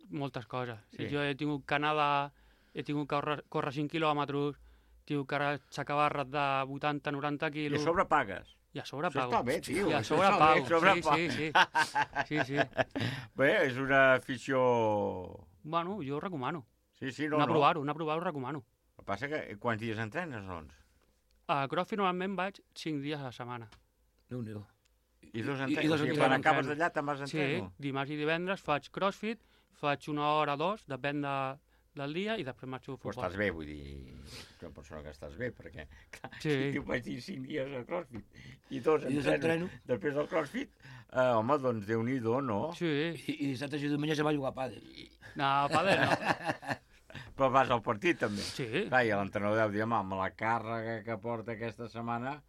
Moltes coses. Sí. Jo he tingut que nedar, he tingut que córrer, córrer cinc quilòmetres, he tingut que aixecar barres de vuitanta noranta I quilos. a sobre pagues? I a sobre Això pago. està bé, tio. I a això sobre està bé, pago. sobre Sí, pago. sí, sí. Sí, sí. Bé, és una afició... Bueno, jo ho recomano. Sí, sí, no, anar a no. provar-ho, anar a provar-ho ho recomano. El que passa que quants dies entrenes, doncs? A CrossFit normalment vaig cinc dies a la setmana. Déu-n'hi-do. I dos I- i entrenos? dos O sigui, entrenos. quan acabes d'allà te'n vas a Sí, entreno? dimarts i divendres faig CrossFit, faig una hora o dos, depèn de, del dia, i després marxo a Però futbol. estàs bé, vull dir, ets una persona que estàs bé, perquè clar, Sí. si tu vaig dir cinc dies a CrossFit i dos I dos entreno, entreno. després del CrossFit, eh, home, doncs Déu-n'hi-do, no? Sí. I, i dissabte i diumenge se va jugar a pàdel. No, pàdel no. Però vas al partit, també. Sí. Clar, i l'entrenador deu dir, home, amb la càrrega que porta aquesta setmana...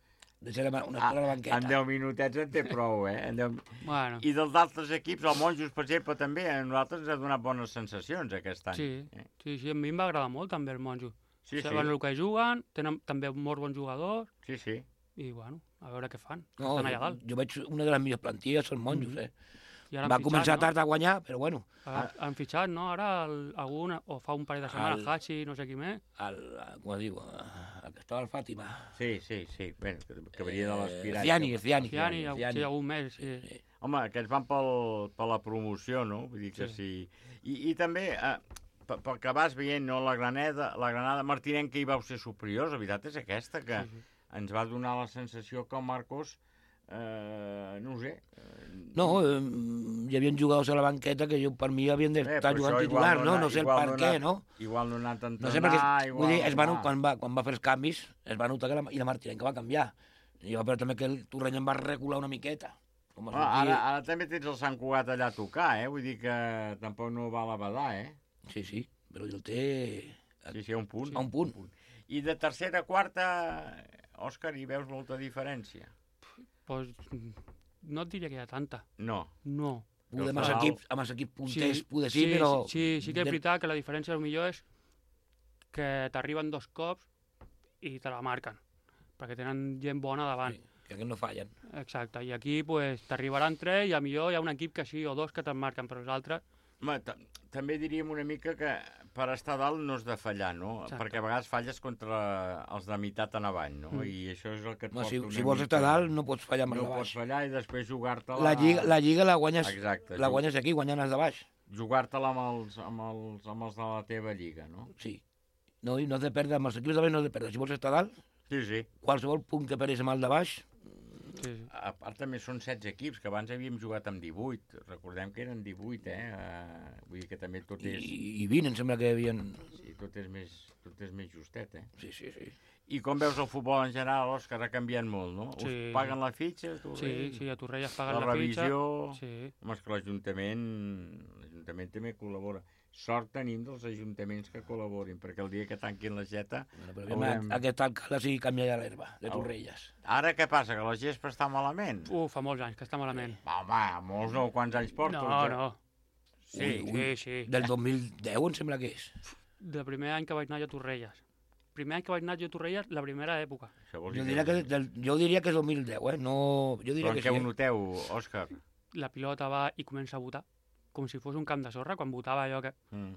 Deixarem una Ah, estona a la banqueta. en deu minutets en té prou, eh? En deu... Bueno. I dels altres equips, el Monjos, per exemple, també, a nosaltres ens ha donat bones sensacions aquest any. Sí, Eh? sí, sí, a mi em va agradar molt també el Monjo. Sí, Saben sí. el que juguen, tenen també molts bons jugadors, Sí, sí. i bueno, a veure què fan. No, Estan allà jo, dalt. jo veig una de les millors plantilles, són monjos, eh? I ara han Va fitxat, començar no? tard a guanyar, però bueno. Han, han fitxat, no? Ara el, algun, o fa un parell de setmanes, El- Hachi, no sé qui més. El, com es diu, el que estava al Fàtima. Sí, sí, sí. Bé, que, que venia de l'Aspirat. Ciani, Ciani. Ciani, Ciani. sí, algun més, sí. Sí. Home, aquests van pel, per la promoció, no? Vull dir que sí. I, i també, eh, pe- pel que vas veient, no? La Granada, la Granada Martinenca hi vau ser superiors, la veritat és aquesta, que Sí, sí. ens va donar la sensació que el Marcos, eh, no ho sé... Eh, No, eh, hi havia jugadors a la banqueta que jo, per mi havien eh, d'estar però jugant això igual titular, no? ha- No sé el igual per no ha què, anat- no? Igual no ha anat a entrenar, No sé perquè, igual... vull dir, es va, no. quan, va, quan va fer els canvis, es va notar que la, i la Martinenca va canviar. I va veure també que el Torrent em va recular una miqueta. Com Ah, ara, ara també tens el Sant Cugat allà a tocar, eh? Vull dir que tampoc no val a badar, eh? Sí, sí, però el té... Sí, sí, a un punt. A un punt. I de tercera a quarta, Òscar, hi veus molta diferència? Pues, no et diria que hi ha tanta. No. No. Poder amb Però els clar, equips, amb els equips punters, Sí, poder sí, sí, però... Sí, sí, sí que és veritat que la diferència millor és que t'arriben dos cops i te la marquen, perquè tenen gent bona davant. Sí, que aquests no fallen. Exacte, i aquí pues, t'arribaran tres i a millor hi ha un equip que sí o dos que te'n marquen, però els altres... Home, ta- també diríem una mica que per estar dalt no has de fallar, no? Exacte. Perquè a vegades falles contra els de meitat en avall, no? Mm. I això és el que et No, porta si, una si vols mica- estar dalt, no pots fallar amb No la pots baix. fallar i després jugar-te-la... La lliga, la lliga la guanyes, Exacte, la ju- guanyes aquí, guanyant els de baix. Jugar-te-la amb els, amb, els, amb els de la teva lliga, no? Sí. No, i no has de perdre, amb els equips de baix no has de perdre. Si vols estar dalt, Sí, sí. qualsevol punt que perdis amb el de baix, Sí, sí. A part també són setze equips, que abans havíem jugat amb divuit. Recordem que eren divuit, eh? Uh, vull dir que també tot i, és... i vint em sembla que hi havia... Sí, tot és més, tot és més justet, eh? Sí, sí, sí. I com veus el futbol en general, Òscar, ha canviat molt, no? Sí. Us paguen la fitxa? Tu, Sí, sí, a Torrelles paguen la la, revisió... fitxa. Sí. Home, és que l'Ajuntament l'Ajuntament també col·labora. Sort tenim dels ajuntaments que col·laborin, perquè el dia que tanquin la jeta... Bueno, però haurem... aquest alcalde sí canvia ja l'herba, de Torrelles. Ara què passa, que la gespa està malament? Uh, fa molts anys que està malament. Va, home, molts no, quants anys porta? No, no. Sí, sí, sí. Del dos mil deu em sembla que és. Del primer any que vaig anar jo a Torrelles. primer any que vaig anar jo a Torrelles, la primera època. Jo diria que, del, jo diria que és dos mil deu, eh? No, jo diria Però en que què sí. ho noteu, Òscar? La pilota va i comença a botar, com si fos un camp de sorra, quan botava allò que Mm.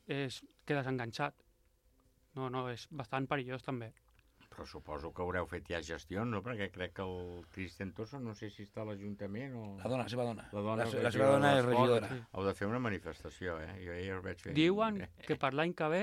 és, quedes enganxat. No, no, és bastant perillós també. Però suposo que haureu fet ja gestions, no? Perquè crec que el Cristian Tosso, no sé si està a l'Ajuntament o... La dona, la seva dona. La, dona, La- la seva dona és regidora. Sí. Heu de fer una manifestació, eh? Jo ja ho vaig fer. Diuen que per l'any que ve...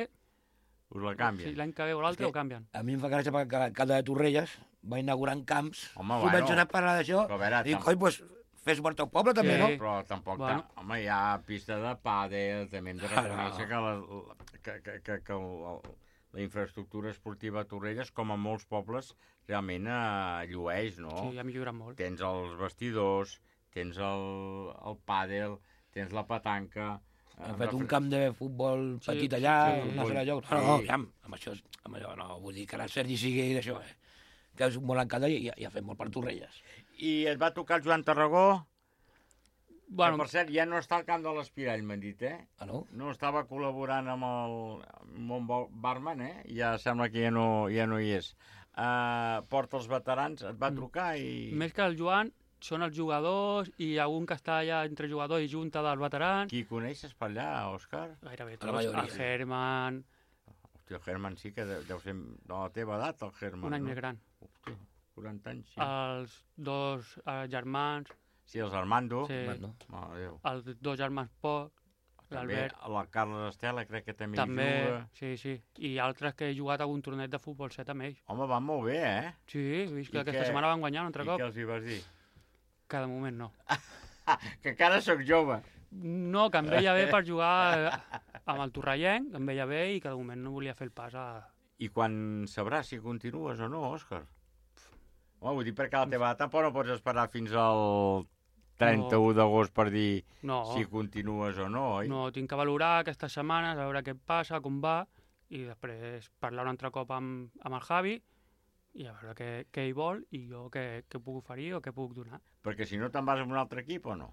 Us la canvien. Sí, l'any que ve o l'altre ho canvien. A mi em fa gràcia perquè cada de Torrelles va inaugurant camps. Home, Comencen bueno. a parlar d'això. Però a veure, Dic, tam- coi, doncs fes suport al poble també, no? Però tampoc... Bueno. Bueno. Home, hi ha pista de pàdel, també hem de Ah, reconèixer no. que, la, que, que, que, que el, el, la infraestructura esportiva a Torrelles, com a molts pobles, realment eh, llueix, no? Sí, ha millorat molt. Tens els vestidors, tens el, el pàdel, tens la petanca... Han fet un camp de futbol Sí, petit allà, sí, una sí. sala de joc. No, no, ja, amb això, amb allò, no, vull dir que ara el Sergi sigui d'això, eh? Que és molt encanta i, i ha fet molt per Torrelles. I et va tocar el Joan Tarragó? Bueno, que, per cert, ja no està al camp de l'Espirall, m'han dit, eh? Ah, no? No, estava col·laborant amb el Mont Barman, eh? Ja sembla que ja no, ja no hi és. Uh, porta els veterans, et va trucar i... Més que el Joan, són els jugadors i algun que està allà entre jugador i junta dels veterans. Qui coneixes per allà, Òscar? Gairebé La tots. majoria. El Herman, Hòstia, el Herman sí que deu, deu ser de la teva edat, el Herman, un any no? més gran. Hòstia, quaranta anys, sí. Els dos eh, germans, Sí, els Armando. Sí. Armando. Mare de Déu. els dos germans Poc, També l'Albert. la Carles Estela crec que també, També, hi juga. sí, sí. I altres que he jugat a algun torneig de futbol set amb ells. Home, van molt bé, eh? Sí, he vist que I aquesta què- setmana van guanyar un altre I cop. què els hi vas dir? Que de moment no. Que encara sóc jove. No, que em veia bé per jugar eh, amb el Torrellenc, em veia bé i que de moment no volia fer el pas a... I quan sabràs si continues o no, Òscar? Home, vull dir perquè a la teva edat tampoc no pots esperar fins al trenta-u d'agost per dir No. si continues o no, oi? No, tinc que valorar aquestes setmanes, a veure què passa, com va, i després parlar un altre cop amb, amb el Javi i a veure què, què hi vol i jo què, què puc oferir o què puc donar. Perquè si no te'n vas a un altre equip o no?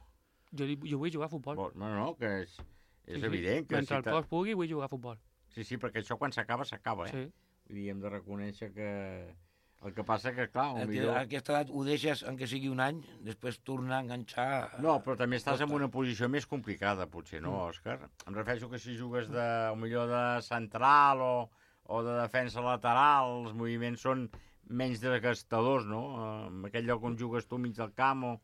Jo, di- jo vull jugar a futbol. No, no, que és, és Sí, sí. evident que... Mentre el te- cos pugui, vull jugar a futbol. Sí, sí, perquè això quan s'acaba, s'acaba, eh? Sí. Vull dir, hem de reconèixer que... El que passa que, clar, A millor... aquesta edat ho deixes, encara sigui un any, després tornar a enganxar... No, però també estàs en Costa. una posició més complicada, potser, no, Mm. Òscar? Em refereixo que si jugues de, o millor de central o, o de defensa lateral, els moviments són menys desgastadors, no? En aquell lloc on jugues tu mig del camp o,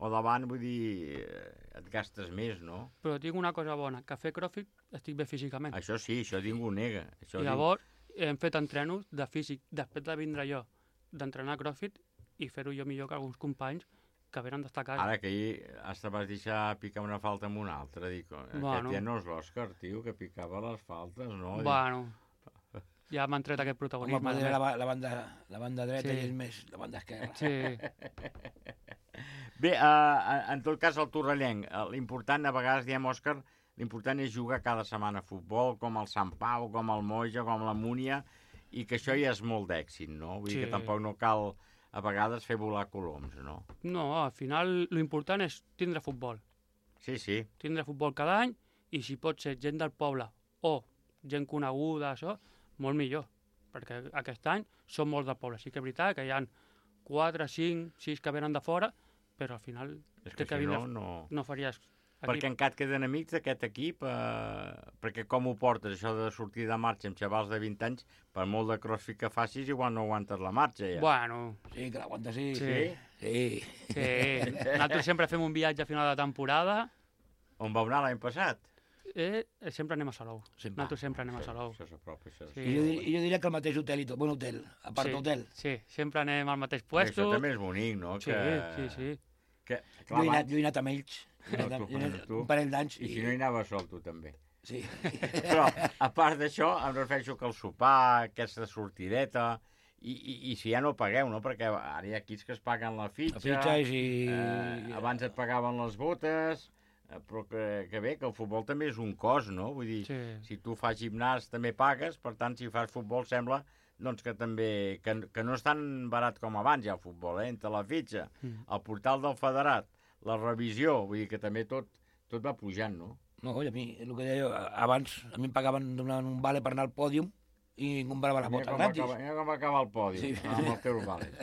o davant, vull dir, eh, et gastes més, no? Però tinc una cosa bona, que a fer crossfit estic bé físicament. Això sí, això ningú ho nega. Això I llavors hem fet entrenos de físic, després de vindre jo d'entrenar crossfit i fer-ho jo millor que alguns companys que venen d'estar a casa. Ara que ahir hasta vas deixar picar una falta amb una altra, dic, aquest Bueno. ja no és l'Òscar, tio, que picava les faltes, no? Dic, Bueno, ja m'han tret aquest Home, protagonisme. poder també. la, ba- la, banda, la banda dreta Sí. i ell més la banda esquerra. Sí. Bé, uh, en tot cas, el Torrellenc, eh, l'important, a vegades diem, Òscar, l'important és jugar cada setmana a futbol, com el Sant Pau, com el Moja, com la Múnia, i que això ja és molt d'èxit, no? Vull dir Sí. que tampoc no cal, a vegades, fer volar coloms, no? No, al final l'important és tindre futbol. Sí, sí. Tindre futbol cada any i si pot ser gent del poble o gent coneguda, això, molt millor. Perquè aquest any són molts del poble. Sí que és veritat que hi ha quatre, cinc, sis que venen de fora, però al final És que té que si vindre, no, no... no faries equip. Perquè encara et queden amics d'aquest equip, eh, perquè com ho portes, això de sortir de marxa amb xavals de vint anys, per molt de crossfit que facis, igual no aguantes la marxa, ja. Bueno. Sí, que l'aguanta, sí. Sí. Sí. Sí. Nosaltres sempre fem un viatge a final de temporada. On vau anar l'any passat? Eh, sempre anem a Salou. Sempre. Nosaltres sempre anem a Salou. Això s'apropa, això. Sí. I jo, dir, jo diria que el mateix hotel i tot, bon hotel, a part sí, hotel. Sí, sempre anem al mateix Això puesto. també és bonic, no? Sí, que... sí, sí. Que, Jo he, anat, jo he anat amb ells, No, he anat, tu, he anat tu. un parell d'anys. I si no hi anaves sol, tu també. Sí. Però, a part d'això, em refereixo que el sopar, aquesta sortideta, i, i, i si ja no pagueu, no? Perquè ara hi ha equips que es paguen la fitxa, La fitxa i si... eh, abans et pagaven les botes, eh, però que, que bé, que el futbol també és un cost, no? Vull dir, Sí. si tu fas gimnàs també pagues, per tant, si fas futbol sembla doncs que també, que, que no és tan barat com abans ja el futbol, eh? Entre la fitxa, Mm. el portal del federat, la revisió, vull dir que també tot, tot va pujant, no? No, i a mi, el que deia jo, abans a mi em pagaven donant un vale per anar al pòdium i comprava les botes gratis. Mira com acaba el podi, sí. Amb el teu vàlid.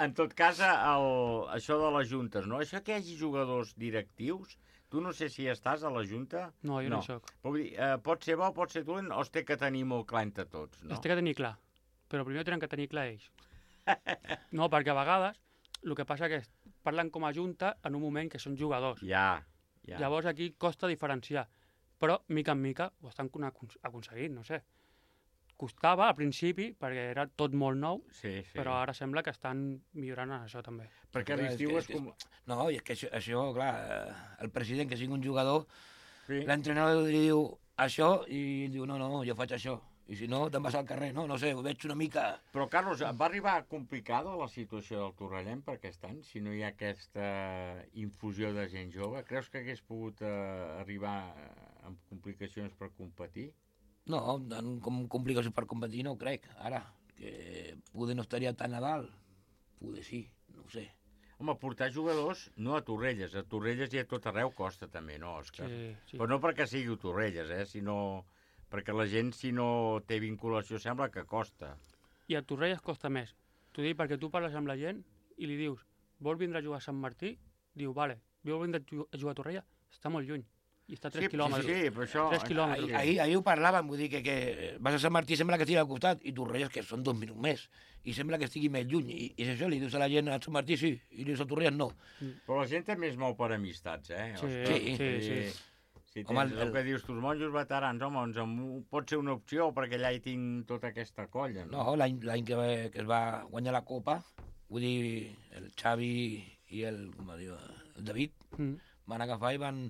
En tot cas, el, això de les juntes, no? Això que hi hagi jugadors directius, tu no sé si estàs a la junta. No, jo no, no hi soc. Dir, eh, pot ser bo, pot ser dolent, o es té que tenir molt clar entre tots, no? Es té que tenir clar, però primer tenen que tenir clar ells. No, perquè a vegades el que passa que parlen com a junta en un moment que són jugadors. Ja, ja. Llavors aquí costa diferenciar, però mica en mica ho estan aconseguint, no sé. Costava al principi, perquè era tot molt nou, sí, sí. Però ara sembla que estan millorant en això també. Perquè l'estiu és com... No, i és que això, això clar, el president que sigui un jugador, sí. L'entrenador li diu això i ell diu, no, no, jo faig això. I si no, te'n vas al carrer, no? No sé, ho veig una mica... Però, Carlos, va arribar complicada la situació del Torrellem per aquest any, si no hi ha aquesta infusió de gent jove? Creus que hagués pogut eh, arribar amb complicacions per competir? No, com complicacions per competir no ho crec, ara. Que poder no estaria tan a dalt, poder sí, no ho sé. Home, portar jugadors, no a Torrelles, a Torrelles i a tot arreu costa també, no, Òscar? Sí, sí. Però no perquè sigui Torrelles, eh, sinó perquè la gent, si no té vinculació, sembla que costa. I a Torrelles costa més. T'ho dic perquè tu parles amb la gent i li dius, vol vindre a jugar a Sant Martí? Diu, vale, vol vindre a jugar a Torrelles? Està molt lluny. I està a tres sí, quilòmetres. Sí, sí, però això... tres quilòmetres. Ahir, ahir, ahir ho parlàvem, vull dir que, que vas a Sant Martí sembla que estigui al costat i Torrelles que són dos minuts més i sembla que estigui més lluny i, i és això, li dius a la gent a Sant Martí sí i li dius a Torrelles no. Però la gent també es mou per amistats, eh? Sí, sí, sí, sí. Si tens home, el, el que dius, tus monjos veterans, home, doncs pot ser una opció perquè allà hi tinc tota aquesta colla. No, no l'any que, que es va guanyar la Copa, vull dir, el Xavi i el, com diu, el David mm. van agafar i van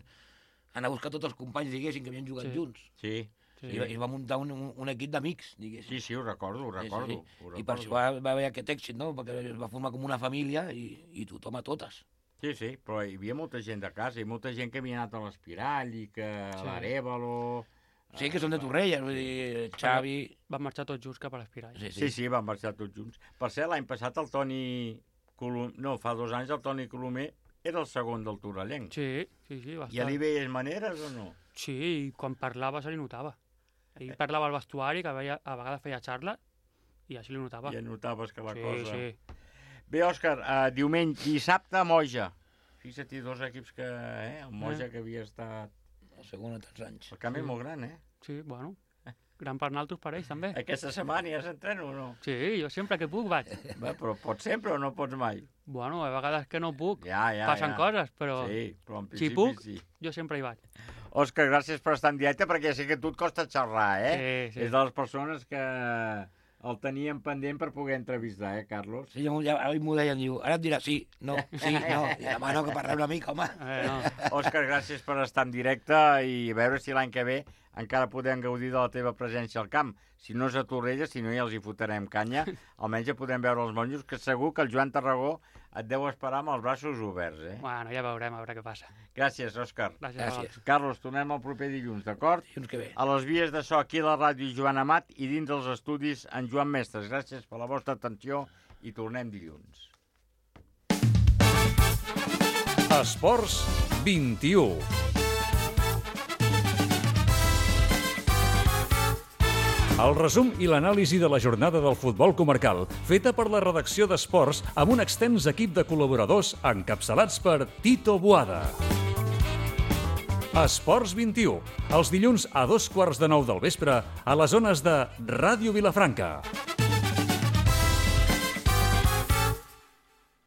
anar a buscar tots els companys, diguéssim, que havien jugat sí. junts. Sí. sí. I, I va muntar un, un, un equip d'amics, diguéssim. Sí, sí, ho recordo, ho recordo. Sí, sí. Ho recordo. I per això va, va haver aquest èxit, no? Perquè es va formar com una família i, i tothom a totes. Sí, sí, però hi havia molta gent de casa i molta gent que havia anat a l'Espirall i que sí. a l'Arèvalo... Sí, que són de Torrelles, vull dir, Xavi... Van marxar tots junts cap a l'Espirall. Sí, sí, sí, sí, van marxar tots junts. Per cert, l'any passat el Toni Colomer... No, fa dos anys el Toni Colomer era el segon del Torrellenc. Sí, sí, sí. Va estar... I li veies maneres o no? Sí, i quan parlava se li notava. Ell eh. parlava al vestuari, que veia, a vegades feia xarla, i així li notava. I ja notaves que la sí, cosa... Sí, Bé, Òscar, uh, diumenge, dissabte a Moja. Fixa't, dos equips que... Eh, el Moja eh. que havia estat... El segon a tants anys. El camp sí. és molt gran, eh? Sí, bueno... Gran per naltros per ells, també. Aquesta setmana ja s'entreno o no? Sí, jo sempre que puc vaig. Bé, però pots sempre o no pots mai? Bueno, a vegades que no puc. Ja, ja, Passen ja. coses, però, sí, però en principi, si puc, sí. jo sempre hi vaig. Òscar, gràcies per estar en directe, perquè ja sé que a tu et costa xerrar, eh? Sí, sí. És de les persones que el teníem pendent per poder entrevistar, eh, Carlos? Sí, ja, ja m'ho deien, diu, ara et dirà sí, no, sí, no, i demà no, que parlem una mica, home. Eh, no. Òscar, gràcies per estar en directe i a veure si l'any que ve encara podem gaudir de la teva presència al camp. Si no és a Torrelles, si no ja els hi fotrem canya, almenys ja podem veure els monjos, que segur que el Joan Tarragó et deu esperar amb els braços oberts, eh? Bueno, ja veurem, a veure què passa. Gràcies, Òscar. Gràcies. Gràcies. Carlos, tornem el proper dilluns, d'acord? Dilluns que ve. A les vies de so aquí a la ràdio Joan Amat i dins dels estudis en Joan Mestres. Gràcies per la vostra atenció i tornem dilluns. Esports vint-i-u. El resum i l'anàlisi de la jornada del futbol comarcal, feta per la redacció d'Esports amb un extens equip de col·laboradors encapçalats per Tito Boada. Esports vint-i-u, els dilluns a dos quarts de nou del vespre a les zones de Ràdio Vilafranca.